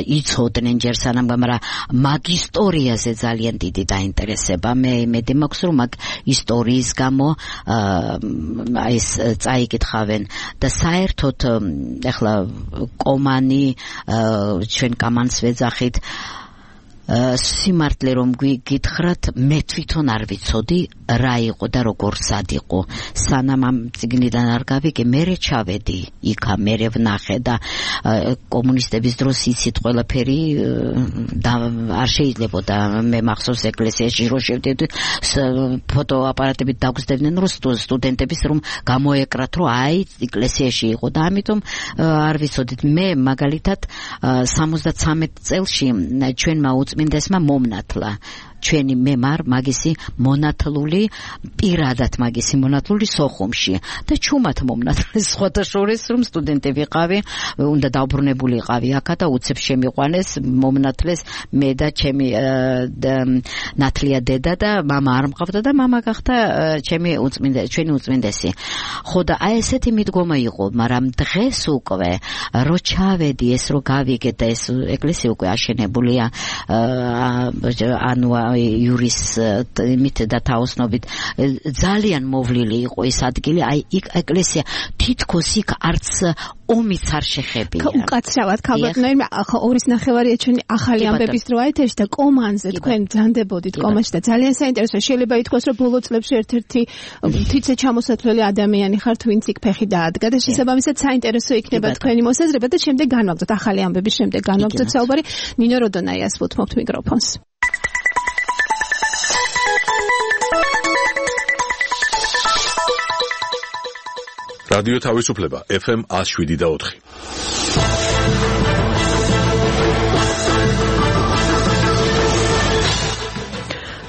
იცოდნენ ჯერ სანამ, მაგრამ მაგ ისტორიაზე ძალიან დიდი დაინტერესება. მე მედი მაქვს რომ მაგ ისტორიის გამო ეს წაიკითხავენ და საერთოდ ახლა კომანი ჩვენ კამანს ვეძახით სიმართლე რომ გითხრათ, მე თვითონ არ ვიცოდი რა იყო და როგორ სად იყო. სანამ ამ წიგნიდან არ გავიგე, მერე ჩავედი იქა, მერე ვნახე და კომუნისტების დროს იცით ყველაფერი და არ შეიძლებოდა. მე მახსოვს ეკლესიაში რო შევდივდი, ფოტოაპარატებით დაგვსდებდნენ რომ სტუდენტების რომ გამოეკრათ რომ აი ეკლესიაში იყო და ამიტომ არ ვიცოდით. მე მაგალითად სამოცდათრამეტ წელში ჩვენმა უწმინდესმა მომნათლა ჩვენი მემარ მაგისი მონათლული, პირადად მაგისი მონათლული სოხუმში და ჩუმად მომნათლეს, სხვათა შორის რომ სტუდენტი ვიყავი, უნდა დაუბრუნებული იყავი აქა და უცებ შემიყვანეს, მომნათლეს მე და ჩემი ნათლია დედა და მამა არ მყავდა და მამა გახდა ჩემი უწმინდესი, ჩვენი უწმინდესი. ხო და აი ესეთი მიდგომა იყო, მაგრამ დღეს უკვე რო ჩავედი ეს რო გავიგე და ეს ეკლესია უკვე აშენებულია, ანუ იურის იმით და თაოსნობით ძალიან მოვლილი იყო ეს ადგილი, აი იქ ეკლესია თითქოს იქ არც ომიც არ შეხებია. უკაცრავად ქალბატონო, ახლა ორის ნახევარია ჩვენი ახალი ამბების დროა ეთერში და კომანზე თქვენ ბრძანდებოდით კომაში და ძალიან საინტერესოა. შეიძლება ითქვას, რომ ბოლო წლებში ერთ-ერთი თვითე ჩამოსათვლელი ადამიანი ხართ, ვინც იქ ფეხი დაადგა და შესაბამისად საინტერესო იქნება თქვენი მოსაზრება და შემდეგ განვაგრძოთ ახალი ამბების შემდეგ განვაგრძოთ საუბარი. ნინო როდონაიას ვუთმობთ მიკროფონს. რადიო თავისუფლება ეფ ემ one oh seven და four.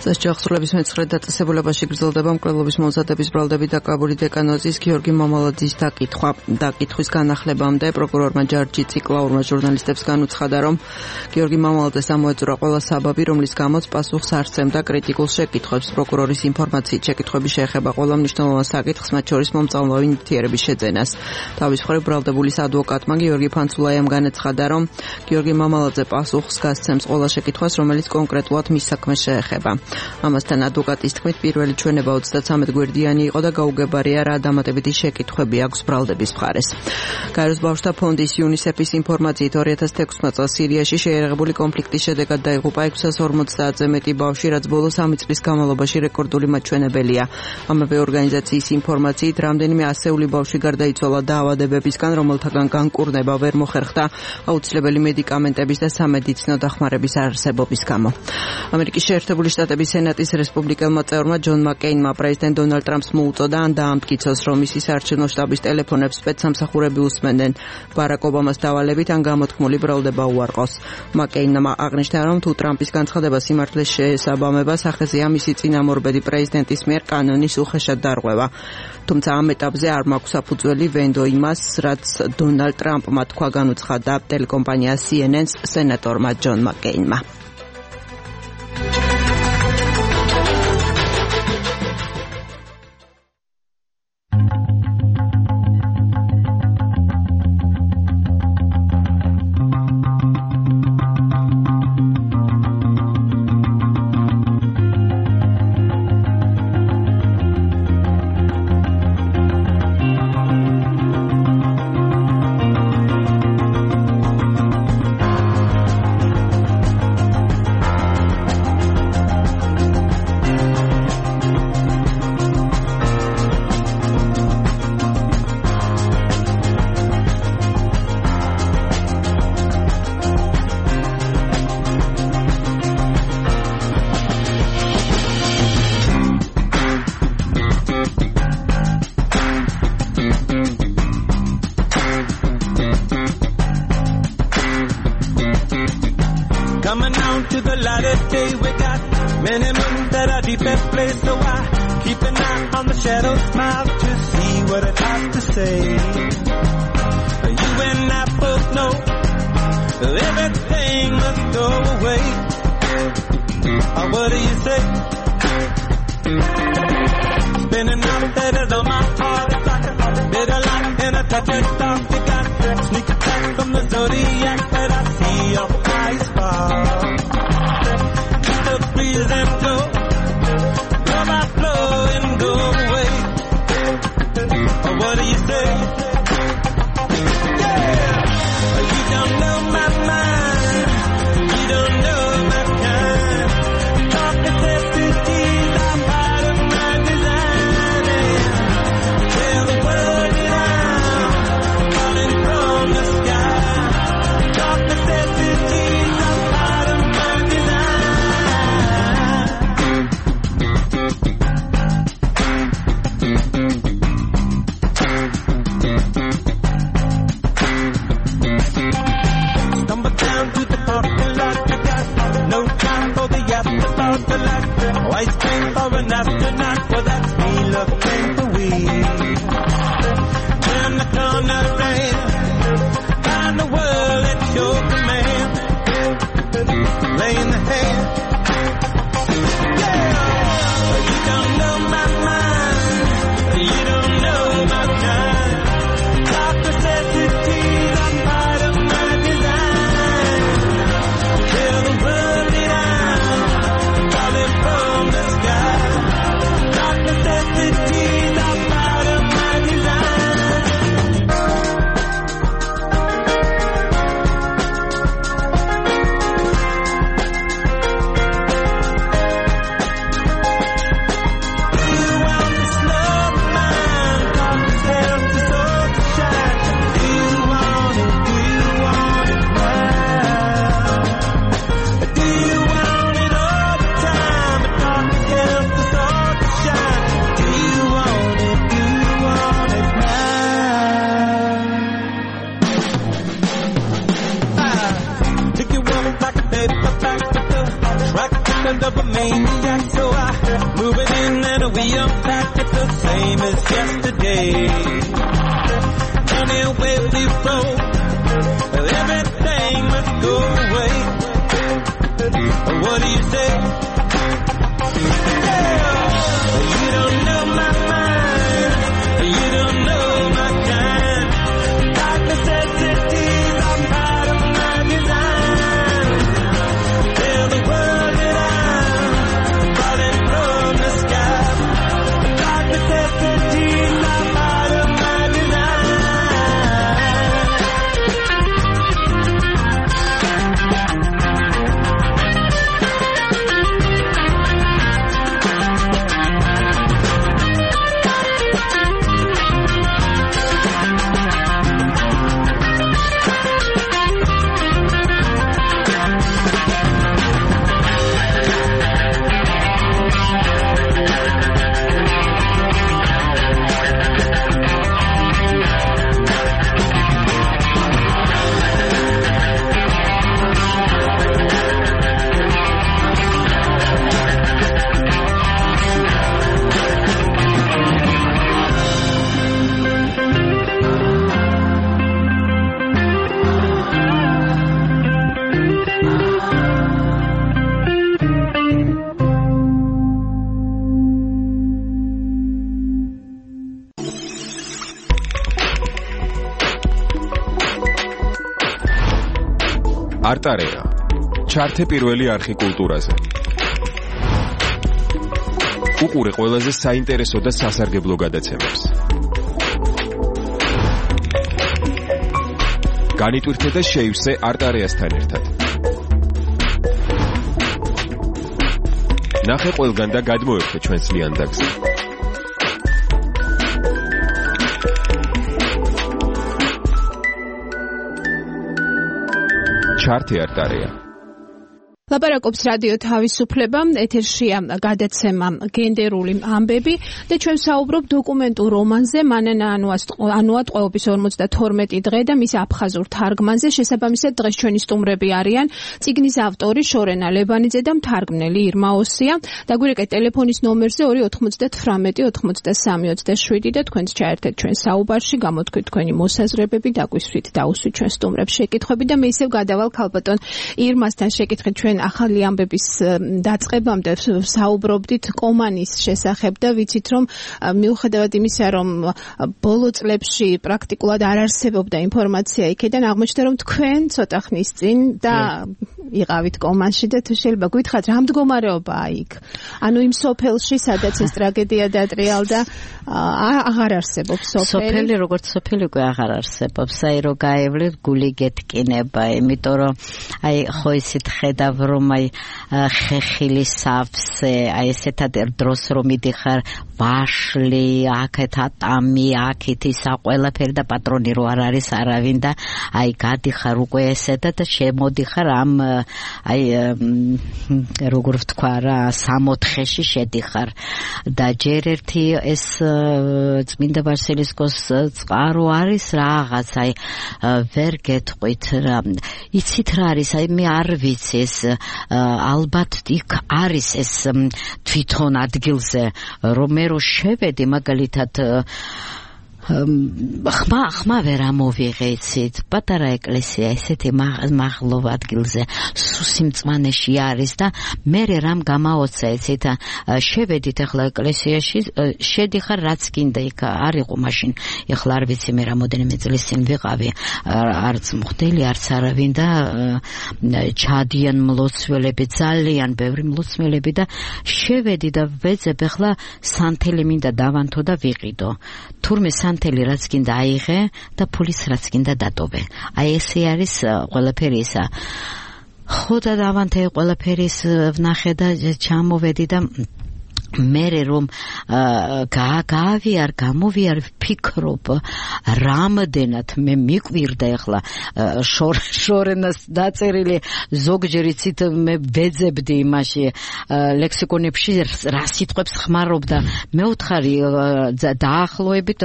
სასჯახრების მეცხრე დაწესებულებაში გრძელდება მკვლელობის მომზადების ბრალდებით დაკავებული დეკანოზის გიორგი მამალაძის დაკითხვა. დაკითხვის განახლებამდე პროკურორმა ჯარჯი ციკლაურმა ჟურნალისტებს განუცხადა, რომ გიორგი მამალაძეს ამოეწურა ყველა საბაბი, რომლის გამოც პასუხს არ სცემდა კრიტიკულ შეკითხვებს. პროკურორის ინფორმაციით შეკითხვები შეეხება ყველა მნიშვნელოვან საკითხს, მათ შორის მომწამლავი ნივთიერების შეძენას. თავის მხრივ ბრალდებულის ადვოკატმა გიორგი ფანცულაიამ განაცხადა, რომ გიორგი მამალაძე პასუხს გასცემს ყველა შეკითხვას, რომელიც კონკრეტულად მის საქმეს შეეხება. ამასთან ადვოკატის თქმით, პირველი ჩვენება ოცდათრამეტ გვერდიანი იყო და გაუგებარია რა დამატებითი შეკითხვები აქვს ბრალდების მხარეს. გაეროს ბავშვთა ფონდის იუნისეფის ინფორმაციით ორი ათას თექვსმეტ წელს სირიაში შეერაღებული კონფლიქტის შედეგად დაიღუპა ექვსას ორმოცდაათზე მეტი ბავშვი, რაც ბოლო სამი წლის განმავლობაში რეკორდული მაჩვენებელია. ამავე ორგანიზაციის ინფორმაციით, რამდენიმე ასეული ბავშვი გარდაიცვალა დაავადებებისგან, რომელთაგან განკურნება ვერ მოხერხდა აუცილებელი მედიკამენტების და სამედიცინო დახმარების არარსებობის გამო. ამერიკის შეერთებული შტატების სენატის რესპუბლიკელმა წევრმა ჯონ მაკეინმა პრეზიდენტ დონალდ ტრამპს მოუწოდა ან დაამტკიცოს, რომ მისი საარჩევნო შტაბის ტელეფონებს სპეცსამსახურები უსმენდნენ ბარაკ ობამას დავალებით ან გამოთქმული ბრალდება უარყოს. მაკეინმა აღნიშნა, რომ თუ ტრამპის განცხადება სიმართლეს შეესაბამება, სახეზეა მისი წინამორბედი პრეზიდენტის მიერ კანონის უხეშად დარღვევა. თუმცა ამ ეტაპზე არ მაქვს საფუძველი ვენდო იმას, რაც დონალდ ტრამპმა თქვა, განუცხადა ტელეკომპანია სი ენ ენს სენატორმა ჯონ მაკეინმა. turned up a maniac, so I move it in and we unpacked it the same as yesterday. Anyway we flow, everything must go away. What do you say? Yeah, you don't know my mind, you don't know my kind. Dark necessities are part of my design. Tell the world that I'm falling from the sky. Dark necessities are part of my design. არტარეა ჩართე პირველი არხი კულტურაზე. უყურე ყველაზე საინტერესო და სასარგებლო გადაცემებს. განიტვირთე და შეივსე არტარეასთან ერთად. ნახე ყველგან და გადმოერთე ჩვენს ლიანდაგზე. ჩართე არტარეა. ლაპარაკობს რადიო თავისუფლება, ეთერშია გადაცემა გენდერული ამბები და ჩვენ საუბრობ დოკუმენტურ რომანზე მანანა ანუა ტყვეობის ორმოცდათორმეტი დღე და მის აფხაზურ თარგმანზე. შესაბამისად დღეს ჩვენი სტუმრები არიან წიგნის ავტორი შორენა ლებანიძე და მთარგმნელი ირმა ოსია. დაგვირეკეთ ტელეფონის ნომერზე ორი ოთხმოცდათვრამეტი ოცდასამი ოცდაშვიდი და თქვენც ჩაერთეთ ჩვენ საუბარში, გამოთქვით თქვენი მოსაზრებები, დაგვისვით დაუსვით ჩვენ სტუმრებს შეკითხვები და მე ისევ გადავალ ქალბატონ ირმასთან შეკითხეთ ჩვენ ახალი ამბების დაწყებამდე საუბრობდით კომანის შესახებ და ვიცით რომ მიუხედავად იმისა რომ ბოლო წლებში პრაქტიკულად არ არსებობდა ინფორმაცია იქიდან აღმოჩნდა რომ თქვენ ცოტა ხნის წინ და იყავით კომანში და თუ შეიძლება გითხრათ რა მდგომარეობაა იქ ანუ იმ სოფელში სადაც ეს ტრაგედია დატრიალდა აღარ არსებობს სოფელი სოფელი როგორც სოფელი უკვე აღარ არსებობს აი რო გაევლეთ გული გეთკინება იმიტომ რომ აი ხო ისეთ ხედავ რომ აი ხეხილი სავსე აი ესეთად დროს რომ მიდიხარ ვაშლი აქეთ ატამი აქეთ ისა ყველაფერი და პატრონი რო არ არის არავინ და აი გადიხარ უკვე ესედა და შემოდიხარ ამ აი როგორ ვთქვა რა სამოთხეში შედიხარ და ჯერ ერთი ეს წმინდა ვასილისკოს წყარო არის რაღაც აი ვერ გეტყვით რა იცით რა არის აი მე არ ვიცი ეს ალბათ იქ არის ეს თვითონ ადგილზე რომ მე რო შევედი მაგალითად ხმა ხმა ვერ ამოვიღეცით პატარა ეკლესია ესეთი მაღლობ ადგილზე სუსიმწმანეში არის და მე რამ გამაოცეცით შევედით ახლა ეკლესიაში შედიხარ რაც გინდა იქ არ იყო მაშინ ეხლა არ ვიცი მე რამოდენიმე წლის წინ ვიყავი არც მღვდელი არც არავინ და ჩადიან მლოცველები ძალიან ბევრი მლოცველები და შევედი და ვეძებ ახლა სანთელი მინდა დავანთო და ვიყიდო თურმე სანთელი რაც გინდა აიღე და ფულის რაც გინდა დატოვე. აი ესე არის ყველაფერი ისა. ხო და დავანთე ყველაფერის ვნახე და ჩამოვედი და მერე რომ გაავიარ გამოვიარ ვფიქრობ რამდენად მე მიკვირდა ახლა შორენას დაწერილი ზოგჯერ იცით მე ვეძებდი იმაში ლექსიკონებში რა სიტყვებს ხმარობდა მე ვთხარი დაახლოებით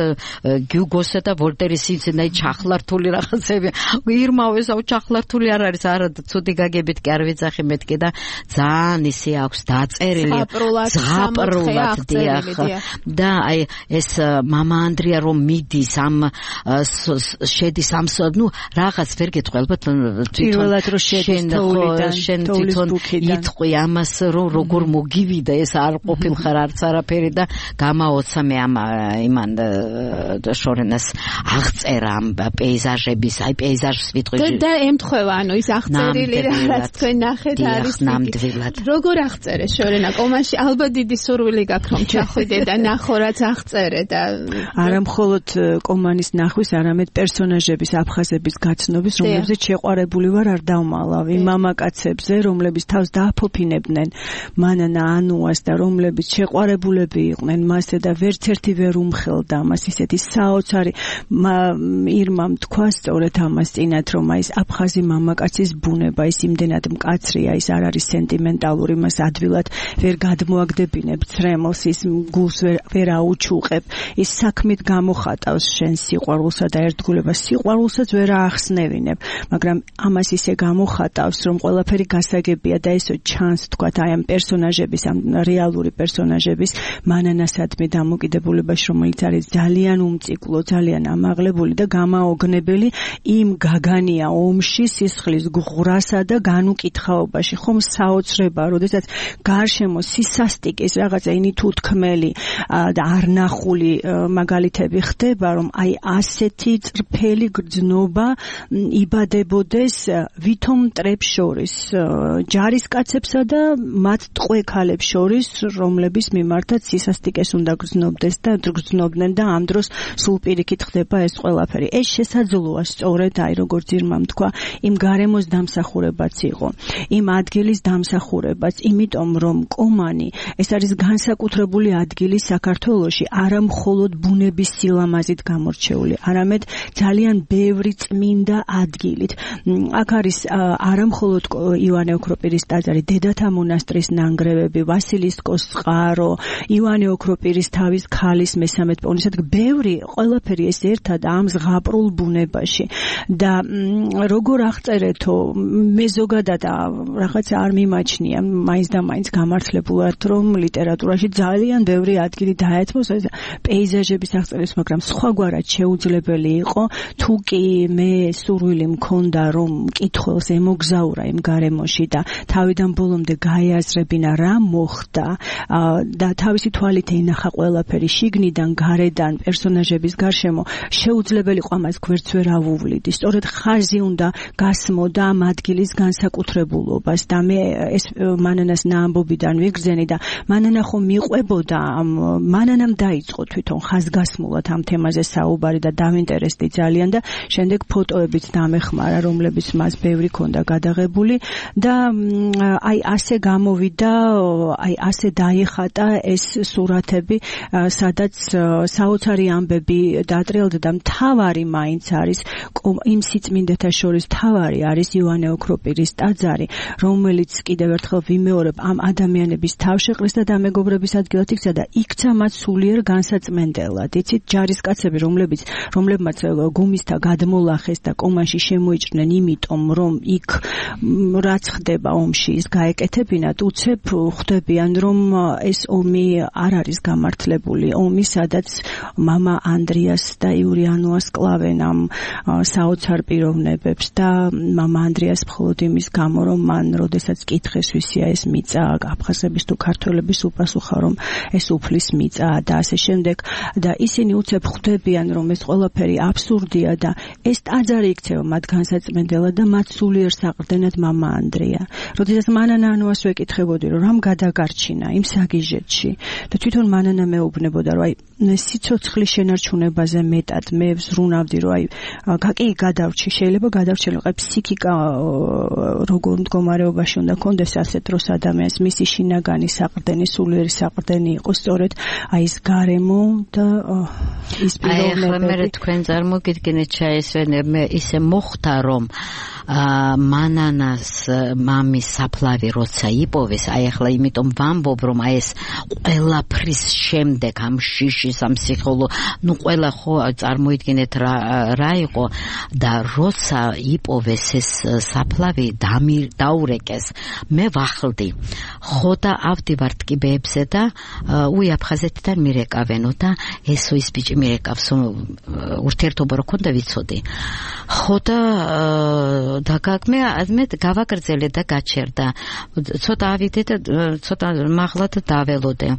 გიუგოსა და ვოლტერის სიცენაი ჩახლართული რაღაცები ირმავეს აუ ჩახლართული არ არის არა ცუდი გაგებით კი არ ვიცახი მეთქე და ძალიან ისე აქვს დაწერილი ზღაპრულად დიახ და აი ეს მამა ანდრია რომ მიდის ამ შედის ამ ნუ რაღაც ვერ გეტყვი ალბათ პირველად რო შედის თოვლიდან შენ თვითონ იტყვი ამას რომ როგორ მოგივიდა ეს არ ყოფილხარ არც არაფერი და გამაოცა მე ამ იმან შორენას აღწერა ამ პეიზაჟების აი პეიზაჟს ვიტყვი და ემთხვევა ანუ ის აღწერილი რაც თქვენ ნახეთ არის ნამდვილად როგორ აღწერე შორენა კომაში ალბათ დიდი სურვილი გაქვს რომ ჩახვიდე და ნახო რაც აღწერე და არა მხოლოდ კომანის ნახვის არამედ პერსონაჟების აფხაზების გაცნობის რომლებზეც შეყვარებული ვარ არ დავმალავი მამაკაცებზე რომლებიც თავს დააფოფინებდნენ მანანა ანუას და რომლებიც შეყვარებულები იყვნენ მასზე და ვერც ერთი ვერ უმხელდა მას ისეთი საოცარი ირმამ თქვა სწორედ ამას წინათ რომ აი ეს აფხაზი მამაკაცის ბუნება ის იმდენად მკაცრია ის არ არის სენტიმენტალური მას ადვილად ვერ გადმოაგდებინებ ცრემლს ის გულს ვერ აუჩუყებ ის საქმით გამოხატავს შენ სიყვარულსა და ერთგულებას სიყვარულსაც ვერ აახსნევინებ მაგრამ ამას ისე გამოხატავს რომ ყველაფერი გასაგებია და ესო ჩანს თქვათ აი ამ პერსონაჟების ამ რეალური პერსონაჟების მანანასადმი დამოკიდებულებაში რომელიც არის ძალიან უმციკლო ძალიან ამაღლებული და გამაოგნებელი იმ გაგანია ომში სისხლის ღრასა და განუკითხაობაში ხომ საოცრება როდესაც გარშემო სისასტიკის რაღაცა ინი თუ თქმელი და არნახული მაგალითები ხდება რომ აი ასეთი წრფელი გრძნობა იბადებოდეს ვითომ მტრებს შორის ჯარისკაცებსა და მათ ტყვე ქალებს შორის რომლების მიმართაც სისასტიკეს უნდა გრძნობდეს და გრძნობდნენ და ამ დროს სულ პირიქით ხდება ეს ყველაფერი ეს შესაძლოა სწორედ აი როგორც ირმამ თქვა იმ გარემოს დამსახურებაც იყო იმ ადგილის დამსახურებაც იმიტომ რომ კომანი ეს არის განსაკუთრებული ადგილი საქართველოში არა მხოლოდ ბუნების სილამაზით გამორჩეული არამედ ძალიან ბევრი წმინდა ადგილით აქ არის არა მხოლოდ ივანე ოქროპირის ტაძარი დედათა მონასტრის ნანგრევები ვასილისკოს წყარო ივანე ოქროპირის თავის ქალის მესამე პოვნისად ბევრი ყველაფერი ეს ერთად ამ ზღაპრულ ბუნებაში და როგორ აღწერეთო მე ზოგადად რაღაცა არ მიმაჩნია მაინც და მაინც გამართლებულად რომ ლიტერატურაში ძალიან ბევრი ადგილი დაეთმოს ეს პეიზაჟების აღწერის მაგრამ სხვაგვარად შეუძლებელი იყო თუ კი მე სურვილი მქონდა რომ მკითხველს ემოგზაურა იმ გარემოში და თავიდან ბოლომდე გაეაზრებინა რა მოხდა და თავისი თვალით ენახა ყველაფერი შიგნიდან გარედან პერსონაჟების გარშემო შეუძლებელი იყო ამას გვერდს ვერ ავუვლიდი სწორედ ხაზი უნდა გასმოდა ამ ადგილის განსაკუთრებულობას და მე ეს მანანას ნაამბობიდან ვიგრძენი და მანანა ხომ მიყვებოდა მანანამ დაიწყო თვითონ ხაზგასმულად ამ თემაზე საუბარი და დავინტერესდი ძალიან და შემდეგ ფოტოებით დამეხმარა რომლებიც მას ბევრი ქონდა გადაღებული და აი ასე გამოვიდა აი ასე დაიხატა ეს სურათები სადაც საოცარი ამბები დატრიალდა და მთავარი მაინც არის იმ სიწმინდეთა შორის მთავარი არის ივანე ოქროპირის ტაძარი რომელიც კიდევ ერთხელ ვიმეორებ ამ ადამიანების თავშეყრის და დამეგობრების ადგილად იქცა და იქცა მათ სულიერ განსაწმენდელად იცით ჯარისკაცები რომლებიც რომლებმაც გუმისთა გადმოლახეს და კომაში შემოიჭრნენ იმიტომ რომ იქ რაც ხდება ომში ის გაეკეთებინათ უცებ ხვდებიან რომ ეს ომი არ არის გამართლებული ომი სადაც მამა ანდრიას და იურიანოას კლავენ ამ საოცარ პიროვნებებს და მამა ანდრიას მხოლოდ იმის გამო რომ მან როდესაც კითხეს ვისია ეს მიწა აფხაზების თუ ქართველების უპასუხა რომ ეს უფლის მიწაა და ასე შემდეგ და ისინი უცებ ხვდებიან რომ ეს ყველაფერი აბსურდია და ეს ტაძარი იქცევა მათ განსაწმენდელად და მათ სულიერ საყრდენად მამა ანდრია როდესაც მანანა ანუას ვეკითხებოდი რომ რამ გადაგარჩინა იმ საგიჟეთში და თვითონ მანანა მეუბნებოდა რომ აი სიცოცხლის შენარჩუნებაზე მეტად მე ვზრუნავდი რომ აი კი გადავრჩი შეიძლება გადავრჩენილიყო აი ფსიქიკა როგორ მდგომარეობაში უნდა კონდეს ასეთ დროს ადამიანს მისი შინაგანი საყრდენი სულიერი საყრდენი იყო სწორედ აი ეს გარემო და ის პიროვნებები. აი ახლა მე თქვენ წარმოგიდგენთ ჩაესვენე მე ისე მოხდა რომ მანანას მამის საფლავი როცა იპოვეს, აი ახლა იმიტომ ვამბობ რომ აი ეს ყველაფრის შემდეგ ამ შიშის ამ სიხოლო, ნუ ყველა ხო წარმოიდგინეთ რა რა იყო და როცა იპოვეს ეს საფლავი დაურეკეს, მე ვახლდი. ხო და ავდივარ ტკიბეებზე და უი აფხაზეთიდან მირეკავენო და ესო ის ბიჭი მირეკავს ურთიერთობა რო ქონდა ვიცოდი. ხო და დაგაგმე მე გავაგრძელე და გაჩერდა. ცოტა ავიდე და ცოტა მაღლა და დაველოდე.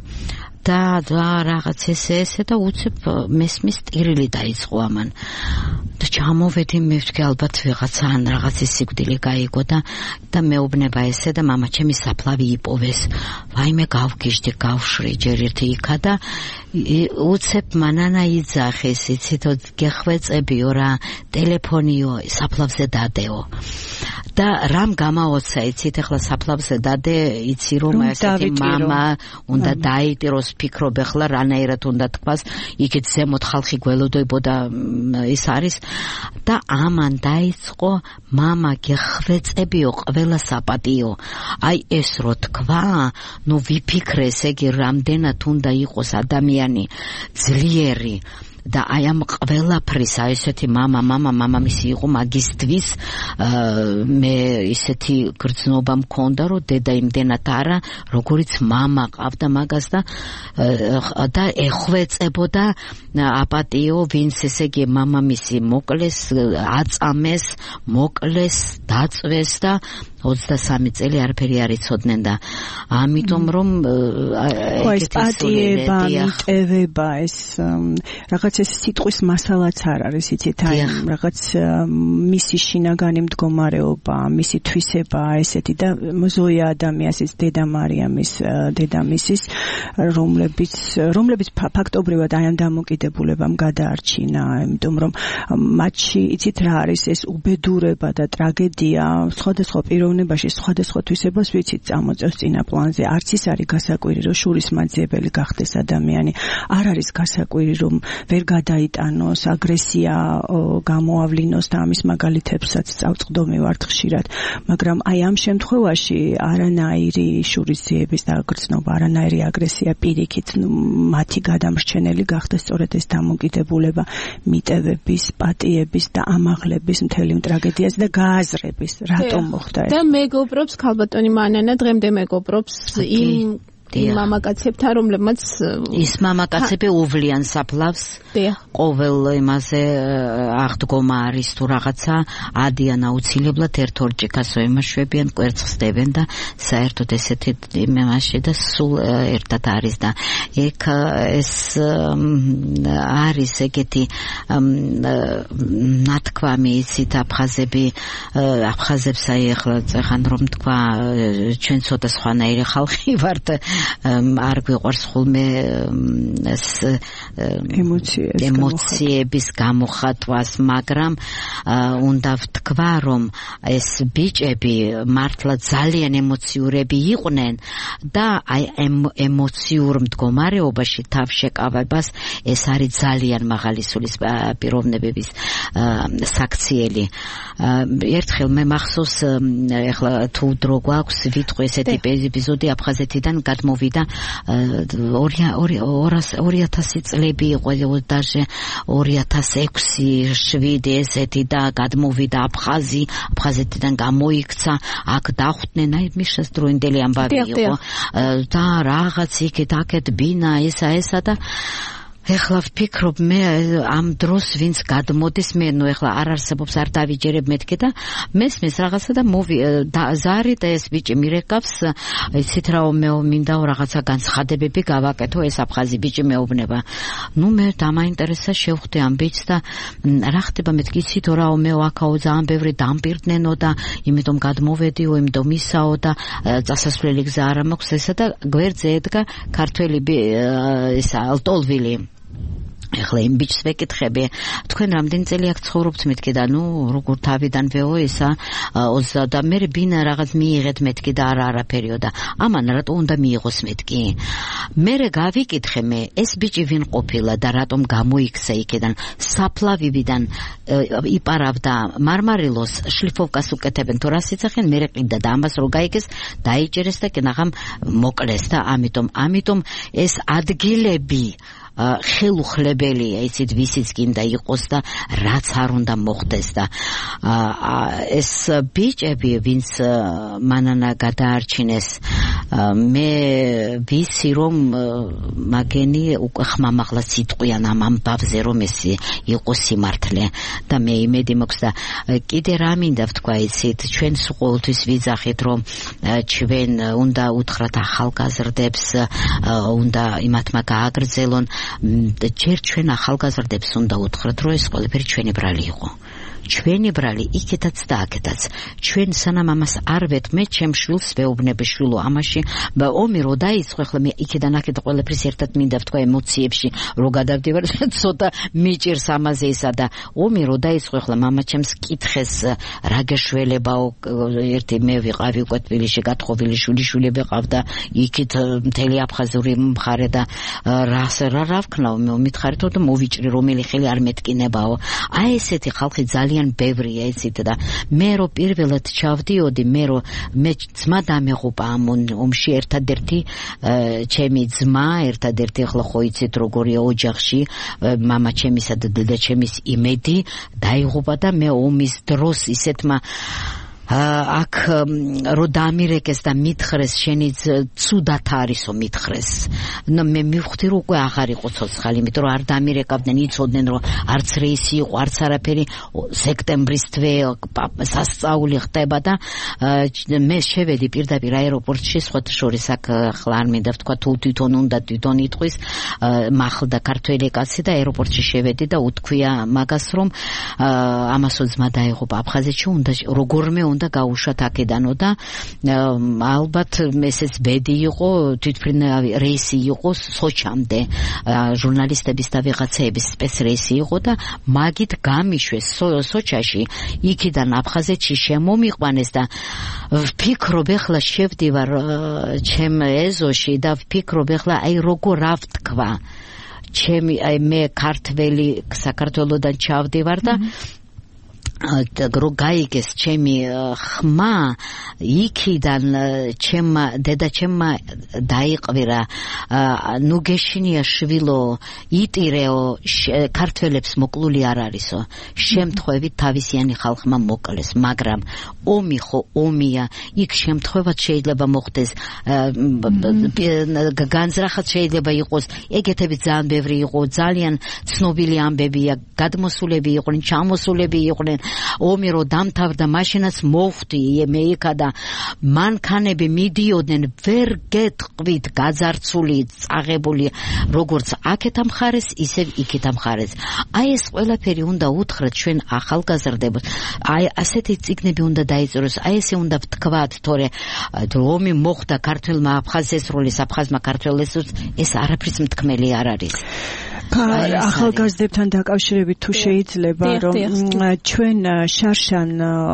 და და რაღაც ესე ესე და უცებ მესმის ტირილი დაიწყო ამან. და ჩამოვედი მე ვთქვი ალბათ ვიღაცა ან რაღაცის სიკვდილი გაიგო და და მეუბნება ესე და მამა ჩემი საფლავი იპოვეს. ვაიმე გავგიჟდი, გავშრი ჯერ ერთი იქა და უცებ მანანა იძახეს, იცით, გეხვეწებიო რა, ტელეფონიო, საფლავზე დადეო. და რამ გამაოცა, იცით, ახლა საფლავზე დადე, იცი რომ ესეთი მამა უნდა დაიტიროს, ფიქრობ ახლა რანაირად უნდა თქვას, იქით ზემოთ ხალხი გველოდებოდა ის არის და ამან დაიწყო მამა გეხვეწებიო, ყველა საპატიო. აი ეს რო თქვა, ნუ ვიფიქრეს ეგი რამდენად უნდა იყოს ადამიანი ძლიერი და აი ამ ყველაფრის აი ესეთი მამა მამა მამამისი იყო მაგისტვის მე ისეთი გრძნობა მქონდა რომ დედა იმდენად არა როგორიც მამა ყავდა მაგას და და ეხვეწებოდა აპატიო ვინც ესე იგი მამამისი მოკლეს აწამეს მოკლეს დაწვეს და ოცდასამი წელი არაფერი არ იცოდნენ და ამიტომ რომ ეს პატიება მიტევება ეს რაღაც ეს სიტყვის მასალაც არ არის იცით აი რაღაც მისი შინაგანი მდგომარეობა მისი თვისება ესეთი და ზოია ადამიანის დედა მარიამის დედამისის რომლებიც რომლებიც ფაქტობრივად აი ამ დამოკიდებულებამ გადაარჩინა იმიტომ რომ მათში იცით რა არის ეს უბედურება და ტრაგედია სხვადასხვა პიროვნებაში სხვადასხვა თვისებას ვიცით წამოწევს წინა პლანზე არც ის არის გასაკვირი რომ შურის მაძიებელი გახდეს ადამიანი არ არის გასაკვირი რომ ვერ გადაიტანოს აგრესია გამოავლინოს და ამის მაგალითებსაც წავწყდომი ვართ ხშირად მაგრამ აი ამ შემთხვევაში არანაირი შურისძიების დაგრძნობა არანაირი აგრესია პირიქით მათი გადამრჩენელი გახდა სწორედ ეს დამოკიდებულება მიტევების პატიების და ამაღლების მთელი ტრაგედიას და გააზრების რატომ მოხდა და მეგობრობს ქალბატონი მანანა დღემდე მეგობრობს იმ მამაკაცებთან რომლებმაც ის მამაკაცები უვლიან საფლავს ყოველ იმაზე აღდგომა არის თუ რაღაცა ადიან აუცილებლად ერთ ორჯიკასო ემაშვებიან კვერცხს დებენ და საერთოდ ესეთი იმაში და სულ ერთად არის და ეგ ეს არის ეგეთი ნათქვამი იცით აფხაზები აფხაზებს აი ახლა ეხან რომ თქვა ჩვენ ცოტა სხვანაირი ხალხი ვართ არ გვიყვარს ხოლმე ეს ემოციების გამოხატვას, მაგრამ უნდა ვთქვა, რომ ეს ბიჭები მართლა ძალიან ემოციურები იყვნენ და აი ემოციურ მდგომარეობაში თავშეკავებას ეს არის ძალიან მაღალი სულის პიროვნებების საქციელი. ერთხელ მე მახსოვს ეხლა თუ დრო გვაქვს ვიტყვი ესეთი ეპიზოდი აფხაზეთიდან მოვიდა ორი ათასი წლები იყო დაჟე ორი ათას ექვსი შვიდი ესეთი და გადმოვიდა აფხაზი აფხაზეთიდან გამოიქცა აქ დახვდნენ აი მიშას დროინდელი ამბავი იყო და რაღაც იქეთ აქეთ ბინა ესა ესა და ეხლა ვფიქრობ მე ამ დროს ვინც გადმოდის მე ნუ ეხლა არ არსებობს არ დავიჯერებ მეთქე და მესმის რაღაცა და მოვი ზარი და ეს ბიჭი მირეკავს იცით რა მე მინდა რაღაცა განცხადებები გავაკეთო ეს აფხაზი ბიჭი მეუბნება ნუ მე დამაინტერესა შევხვდი ამ ბიჭს და რა ხდება მეთქი იცით რა მე აქაო ძალიან ბევრი დამპირდნენო და იმიტომ გადმოვედიო იმიტომ ისაო და წასასვლელი გზა არ მაქვს ესა და გვერდზე ედგა ქართველი ისა ალტოლვილი ეხლა იმ ბიჭს ვეკითხები, თქვენ რამდენი წელი აქ ცხოვრობთ? მეთქი და ნუ როგორ თავიდანვეო ესა ოცდა და მე ბინა რაღაც მიიღეთ მეთქი და არა არაფერიო და ამან რატო უნდა მიიღოს მეთქი? მე გავიკითხე მე ეს ბიჭი ვინ ყოფილა და რატომ გამოიქცა იქიდან საფლავებიდან იპარავდა მარმარილოს შლიფოვკას უკეთებენ თუ რას იცახენ მე ყიდა და ამას რო გაიგეს დაიჭერეს და კენაღამ მოკლეს და ამიტომ ამიტომ ეს ადგილები ხელუხლებელია იცით ვისიც გინდა იყოს და რაც არ უნდა მოხდეს და ეს ბიჭები ვინც მანანა გადაარჩინეს მე ვიცი რომ მაგენი უკვე ხმამაღლა სიტყვიან ამ ამბავზე რომ ეს იყო სიმართლე და მე იმედი მაქვს და კიდე რა მინდა ვთქვა იცით ჩვენ ყოველთვის ვიძახით რომ ჩვენ უნდა უთხრათ ახალგაზრდებს უნდა იმათმა გააგრძელონ ჯერ ჩვენ ახალგაზრდებს უნდა უთხრათ რომ ეს ყველაფერი ჩვენი ბრალი იყო ჩვენი ბრალი იქეთაც და აქეთაც ჩვენ სანამ ამას არ ვეთ მე ჩემ შვილს ვეუბნები შვილო ამაში ომი რო დაიწყო ხლა მე იქიდან აქეთ ყველაფერს ერთად მინდა ვთქვა ემოციებში რო გადავდივარ ცოტა მიჭირს ამაზე ისა და ომი რო დაიწყო ხლა მამა ჩემს კითხეს რა გეშველებაო ერთი მე ვიყავი უკვე თბილისში გათხოვილი შვილიშვილები ყავდა იქით მთელი აფხაზური მხარე და რას რა რა ვქნაო მე მითხარითო და მოვიჭრი რომელი ხელი არ მეთკინებაო აი ესეთი ხალხი ძალიან ბევრია იცით და მე რო პირველად ჩავდიოდი მე რო მე ძმა დამეღუპა ამ ომში ერთადერთი ჩემი ძმა ერთადერთი ახლა ხო იცით როგორია ოჯახში მამა ჩემისა და დედა ჩემის იმედი დაიღუპა და მე ომის დროს ისეთმა აქ რო დამირეკეს და მითხრეს შენი ცუდად არისო მითხრეს ნუ მე მივხვდი რომ უკვე აღარ იყო ცოცხალი იმიტომ რომ არ დამირეკავდნენ იცოდნენ რომ არც რეისი იყო არც არაფერი სექტემბრის თვე სასწაული ხდება და მე შევედი პირდაპირ აეროპორტში სხვათა შორის აქ ხლა არ მინდა ვთქვა თუ თვითონ უნდა თვითონ იტყვის მახლდა ქართველი კაცი და აეროპორტში შევედი და უთქვია მაგას რომ ამასო ძმა დაიღუპა აფხაზეთში უნდა როგორმე უნდა გაუშვათ აქედანო და ალბათ ესეც ბედი იყო თვითმფრინავი რეისი იყო სოჩამდე ჟურნალისტების და ვიღაცების სპეცრეისი იყო და მაგით გამიშვეს სოჩაში იქიდან აფხაზეთში შემომიყვანეს და ვფიქრობ ეხლა შევდივარ ჩემ ეზოში და ვფიქრობ ეხლა აი როგორ რა ვთქვა ჩემი აი მე ქართველი საქართველოდან ჩავდივარ და რო გაიგეს ჩემი ხმა იქიდან ჩემმა დედა ჩემმა დაიყვირა ნუ გეშინია შვილო იტირეო ქართველებს მოკლული არ არისო შემთხვევით თავისიანი ხალხმა მოკლეს მაგრამ ომი ხო ომია იქ შემთხვევად შეიძლება მოხდეს განზრახად შეიძლება იყოს ეგეთები ძალიან ბევრი იყო ძალიან ცნობილი ამბებია გადმოსულები იყვნენ ჩამოსულები იყვნენ ომი რო დამთავრდა მაშინაც მოვხვდი მე იქა და მანქანები მიდიოდნენ ვერ გეტყვით გაძარცული წაღებული როგორც აქეთ ამხარეს ისევ იქეთ ამხარეს აი ეს ყველაფერი უნდა უთხრათ ჩვენ ახალგაზრდებს აი ასეთი წიგნები უნდა დაიწეროს აი ესე უნდა ვთქვათ თორე ომი მოხდა ქართველმა აფხაზესროლის აფხაზმა ქართველებს ეს არაფრის მთქმელი არ არის ახალგაზრდებთან დაკავშირებით თუ შეიძლება რომ ჩვენ შარშან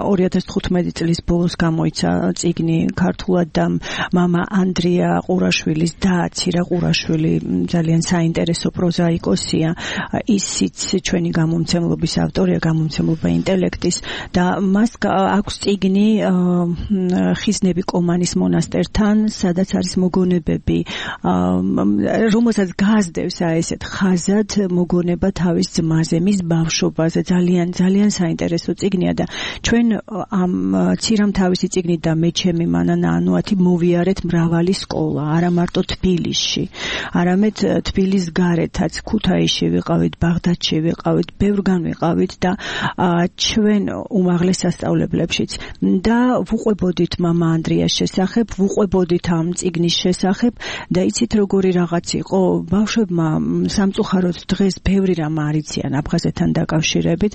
ორი ათას თხუთმეტი წლის ბოლოს გამოიცა წიგნი ქართულად და მამა ანდრია ყურაშვილის და ცირა ყურაშვილი ძალიან საინტერესო პროზაიკოსია ისიც ჩვენი გამომცემლობის ავტორია გამომცემლობა ინტელექტის და მას აქვს წიგნი ხიზნები კომანის მონასტერთან სადაც არის მოგონებები რომელსაც გასდევს აი ესეთ ხაზ მოგონება თავის ძმაზე, მის ბავშვობაზე ძალიან ძალიან საინტერესო წიგნია და ჩვენ ამ ცირამ თავისი წიგნით და მე ჩემი მანანა ანუათი მოვიარეთ მრავალი სკოლა, არა მარტო თბილისში, არამედ თბილის გარეთაც, ქუთაისში ვიყავით, ბაღდადში ვიყავით, ბევრგან ვიყავით და ჩვენ უმაღლეს სასწავლებლებშიც და ვუყვებოდით მამა ანდრიას შესახებ, ვუყვებოდით ამ წიგნის შესახებ და იცით როგორი რაღაც იყო, ბავშვებმა სამწუხაროდ სამწუხაროდ დღეს ბევრი რამ არიციან აფხაზეთთან დაკავშირებით.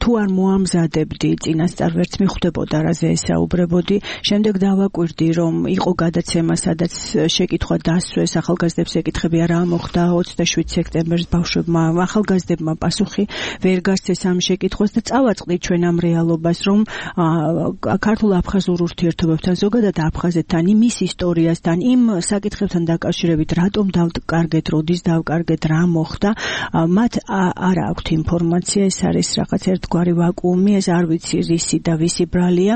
თუ არ მოამზადებდი წინასწარ ვერც მიხვდებოდა რაზე ესაუბრებოდი. შემდეგ დავაკვირდი რომ იყო გადაცემა სადაც შეკითხვა დასვეს ახალგაზრდებს ეკითხებია რა მოხდა ოცდაშვიდ სექტემბერს ბავშვებმა ახალგაზრდებმა პასუხი ვერ გასცეს ამ შეკითხვას და წავაწყდით ჩვენ ამ რეალობას რომ ქართულ-აფხაზურ ურთიერთობებთან ზოგადად აფხაზეთთან იმის ისტორიასთან იმ საკითხებთან დაკავშირებით რატომ დავკარგეთ როდის დავკარგეთ რა მოხდა მათ არ აქვთ ინფორმაცია ეს არის რაღაც ერთგვარი ვაკუუმი ეს არ ვიცი რისი და ვისი ბრალია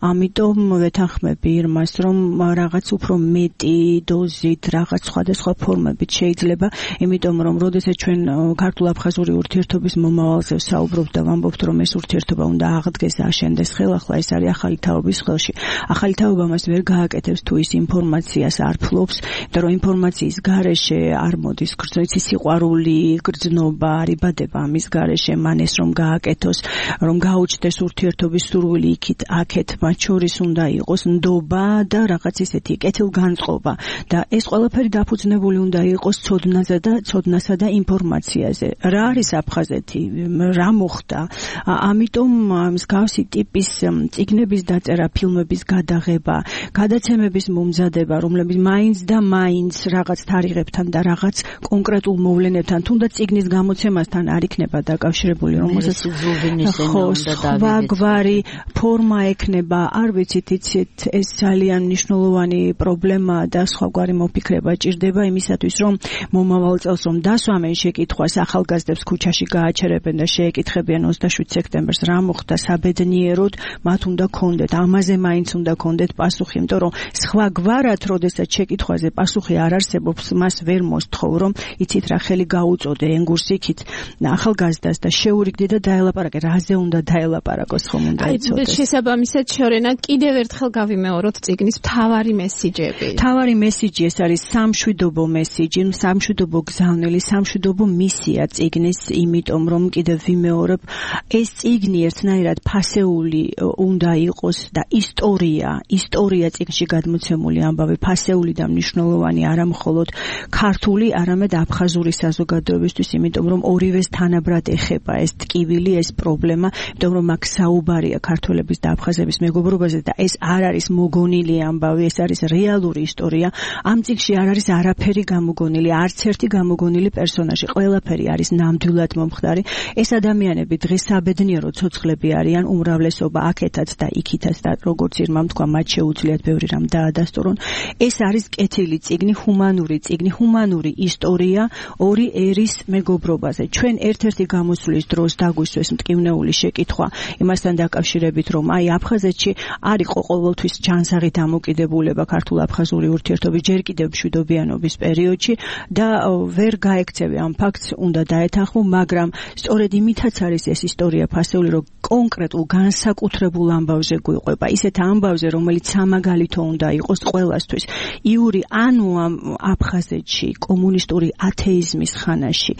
ამიტომ ვეთანხმები იმას რომ რაღაც უფრო მეტი დოზით რაღაც სხვადასხვა ფორმებით შეიძლება იმიტომ რომ როდესაც ჩვენ ქართულ-აფხაზური ურთიერთობის მომავალზე საუბრობთ და ვამბობთ რომ ეს ურთიერთობა უნდა აღდგეს და აშენდეს ხელახლა ეს არის ახალი თაობის ხელში ახალი თაობა მას ვერ გააკეთებს თუ ის ინფორმაციას არ ფლობს და რომ ინფორმაციის გარეშე არ მოდის გრძნობით სიყვარული გრძნობა არიბადება ამის გარეშე მან ეს რომ გააკეთოს რომ გაუჩნდეს ურთიერთობის სურვილი იქით აქეთ მათ შორის უნდა იყოს ნდობა და რაღაც ისეთი კეთილგანწყობა და ეს ყველაფერი დაფუძნებული უნდა იყოს ცოდნაზე და ცოდნასა და ინფორმაციაზე რა არის აფხაზეთი რა მოხდა ამიტომ მსგავსი ტიპის წიგნების დაწერა ფილმების გადაღება გადაცემების მომზადება რომლებიც მაინც და მაინც რაღაც თარიღებთან და რაღაც კონკრეტულ მოვლენებთან თუნდაც წიგნის გამოცემასთან არ იქნება დაკავშირებული რომელსაც სხვაგვარი ფორმა ექნება არ ვიცით იცით ეს ძალიან მნიშვნელოვანი პრობლემაა და სხვაგვარი მოფიქრება ჭირდება იმისათვის რომ მომავალ წელს რომ დასვამენ შეკითხვას ახალგაზრდებს ქუჩაში გააჩერებენ და შეეკითხებიან ოცდაშვიდ სექტემბერს რა მოხდა საბედნიეროდ მათ უნდა ქონდეთ ამაზე მაინც უნდა ქონდეთ პასუხი იმიტომ რომ სხვაგვარად როდესაც შეკითხვაზე პასუხი არ არსებობს მას ვერ მოსთხოვ რომ იცით რა ხელი გაუწოდე ენგურს იქით ახალგაზრდას და შეურიგდი და დაელაპარაკე რაზე უნდა დაელაპარაკოს ხომ უნდა იცოდეს შესაბამისად შორენა კიდევ ერთხელ გავიმეოროთ წიგნის მთავარი მესიჯები მთავარი მესიჯი ეს არის სამშვიდობო მესიჯი სამშვიდობო გზავნილი სამშვიდობო მისია წიგნის იმიტომ რომ კიდევ ვიმეორებ ეს წიგნი ერთნაირად ფასეული უნდა იყოს და ისტორია ისტორია წიგნში გადმოცემული ამბავი ფასეული და მნიშვნელოვანი არა მხოლოდ ქართული არამედ აფხაზური საზოგადოებისთვის იმიტომ რომ ორივეს თანაბრად ეხება ეს ტკივილი ეს პრობლემა იმიტომ რომ აქ საუბარია ქართველების და აფხაზების მეგობრობაზე და ეს არ არის მოგონილი ამბავი ეს არის რეალური ისტორია ამ წიგნში არ არის არაფერი გამოგონილი არც ერთი გამოგონილი პერსონაჟი ყველაფერი არის ნამდვილად მომხდარი ეს ადამიანები დღეს საბედნიერო ცოცხლები არიან უმრავლესობა აქეთაც და იქითაც და როგორც ირმამ თქვა მათ შეუძლიათ ბევრი რამ დაადასტურონ ეს არის კეთილი წიგნი ჰუმანური წიგნი ჰუმანური ისტორია ორი ერის მეგობრობაზე ჩვენ ერთ-ერთი გამოსვლის დროს დაგვისვეს მტკივნეული შეკითხვა იმასთან დაკავშირებით რომ აი აფხაზეთში არ იყო ყოველთვის ჯანსაღი დამოკიდებულება ქართულ-აფხაზური ურთიერთობის ჯერ კიდევ მშვიდობიანობის პერიოდში და ვერ გაექცევი ამ ფაქტს უნდა დაეთანხმო მაგრამ სწორედ იმითაც არის ეს ისტორია ფასეული რომ კონკრეტულ განსაკუთრებულ ამბავზე გვიყვება ისეთ ამბავზე რომელიც სამაგალითო უნდა იყოს ყველასთვის იური ანუ აფხაზეთში კომუნისტური ათეიზმის ხანაში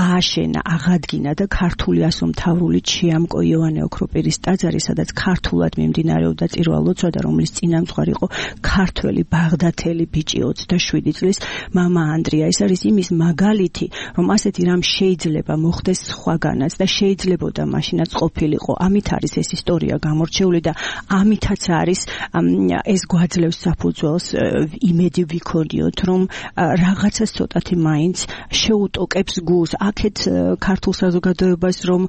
ააშენა აღადგინა და ქართული ასომთავრული ჩიამკო იოანე ოქროპირის ტაძარი სადაც ქართულად მიმდინარეობდა წირვა-ლოცვა და რომლის წინამძღვარი იყო ქართველი ბაღდათელი ბიჭი ოცდაშვიდი წლის მამა ანდრია ეს არის იმის მაგალითი რომ ასეთი რამ შეიძლება მოხდეს სხვაგანაც და შეიძლებოდა მაშინაც ყოფილიყო ამით არის ეს ისტორია გამორჩეული და ამითაც არის ეს გვაძლევს საფუძველს იმედი ვიქონიოთ რომ რაღაცა ცოტათი მაინც შეუტოკებს გულს აქეთ ქართულ საზოგადოებას რომ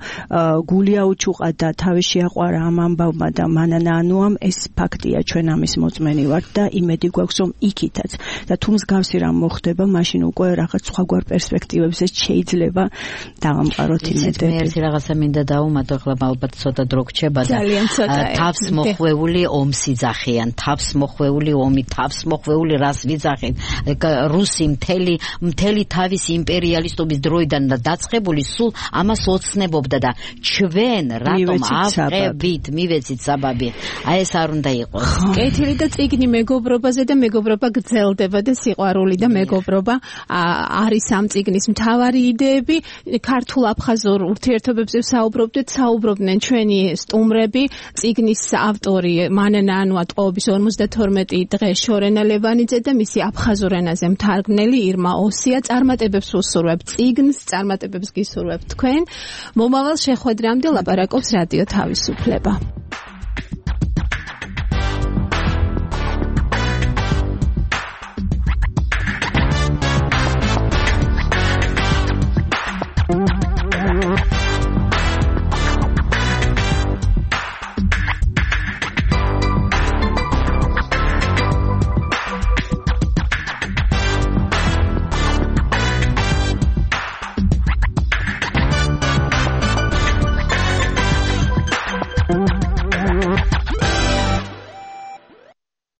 გული აუჩუყა და თავი შეაყვარა ამ ამბავმა და მანანაანუამ ეს ფაქტია ჩვენ ამის მოწმენი ვართ და იმედი გვაქვს რომ იქითაც და თუ მსგავსი რამ მოხდება მაშინ უკვე რაღაც სხვაგვარ პერსპექტივებზე შეიძლება დავამყაროთ იმედები მე ერთი რაღაცა მინდა დაუმატო ახლა ალბათ ცოტა დრო გრჩება და თავს მოხვეული ომს იძახიან თავს მოხვეული ომი თავს მოხვეული რას ვიძახით რუსი მთელი მთელი თავის იმპერიალისტობის დროიდან დაწყებული სულ ამას ოცნებობდა და ჩვენ რატომ ავყებით მივეცით საბაბი აი ეს არ უნდა იყოს კეთილი და წიგნი მეგობრობაზე და მეგობრობა გრძელდება და სიყვარული და მეგობრობა არის ამ წიგნის მთავარი იდეები ქართულ-აფხაზურ ურთიერთობებზე საუბრობდით საუბრობდნენ ჩვენი სტუმრები წიგნის ავტორი მან ჩვენენა ანუ ატყოობის ორმოცდათორმეტი დღე შორენა ლევანიძე და მისი აფხაზურ ენაზე მთარგმნელი ირმა ოსია. წარმატებებს უსურვებთ წიგნს, წარმატებებს გისურვებთ თქვენ. მომავალ შეხვედრამდე ლაპარაკობს რადიო თავისუფლება.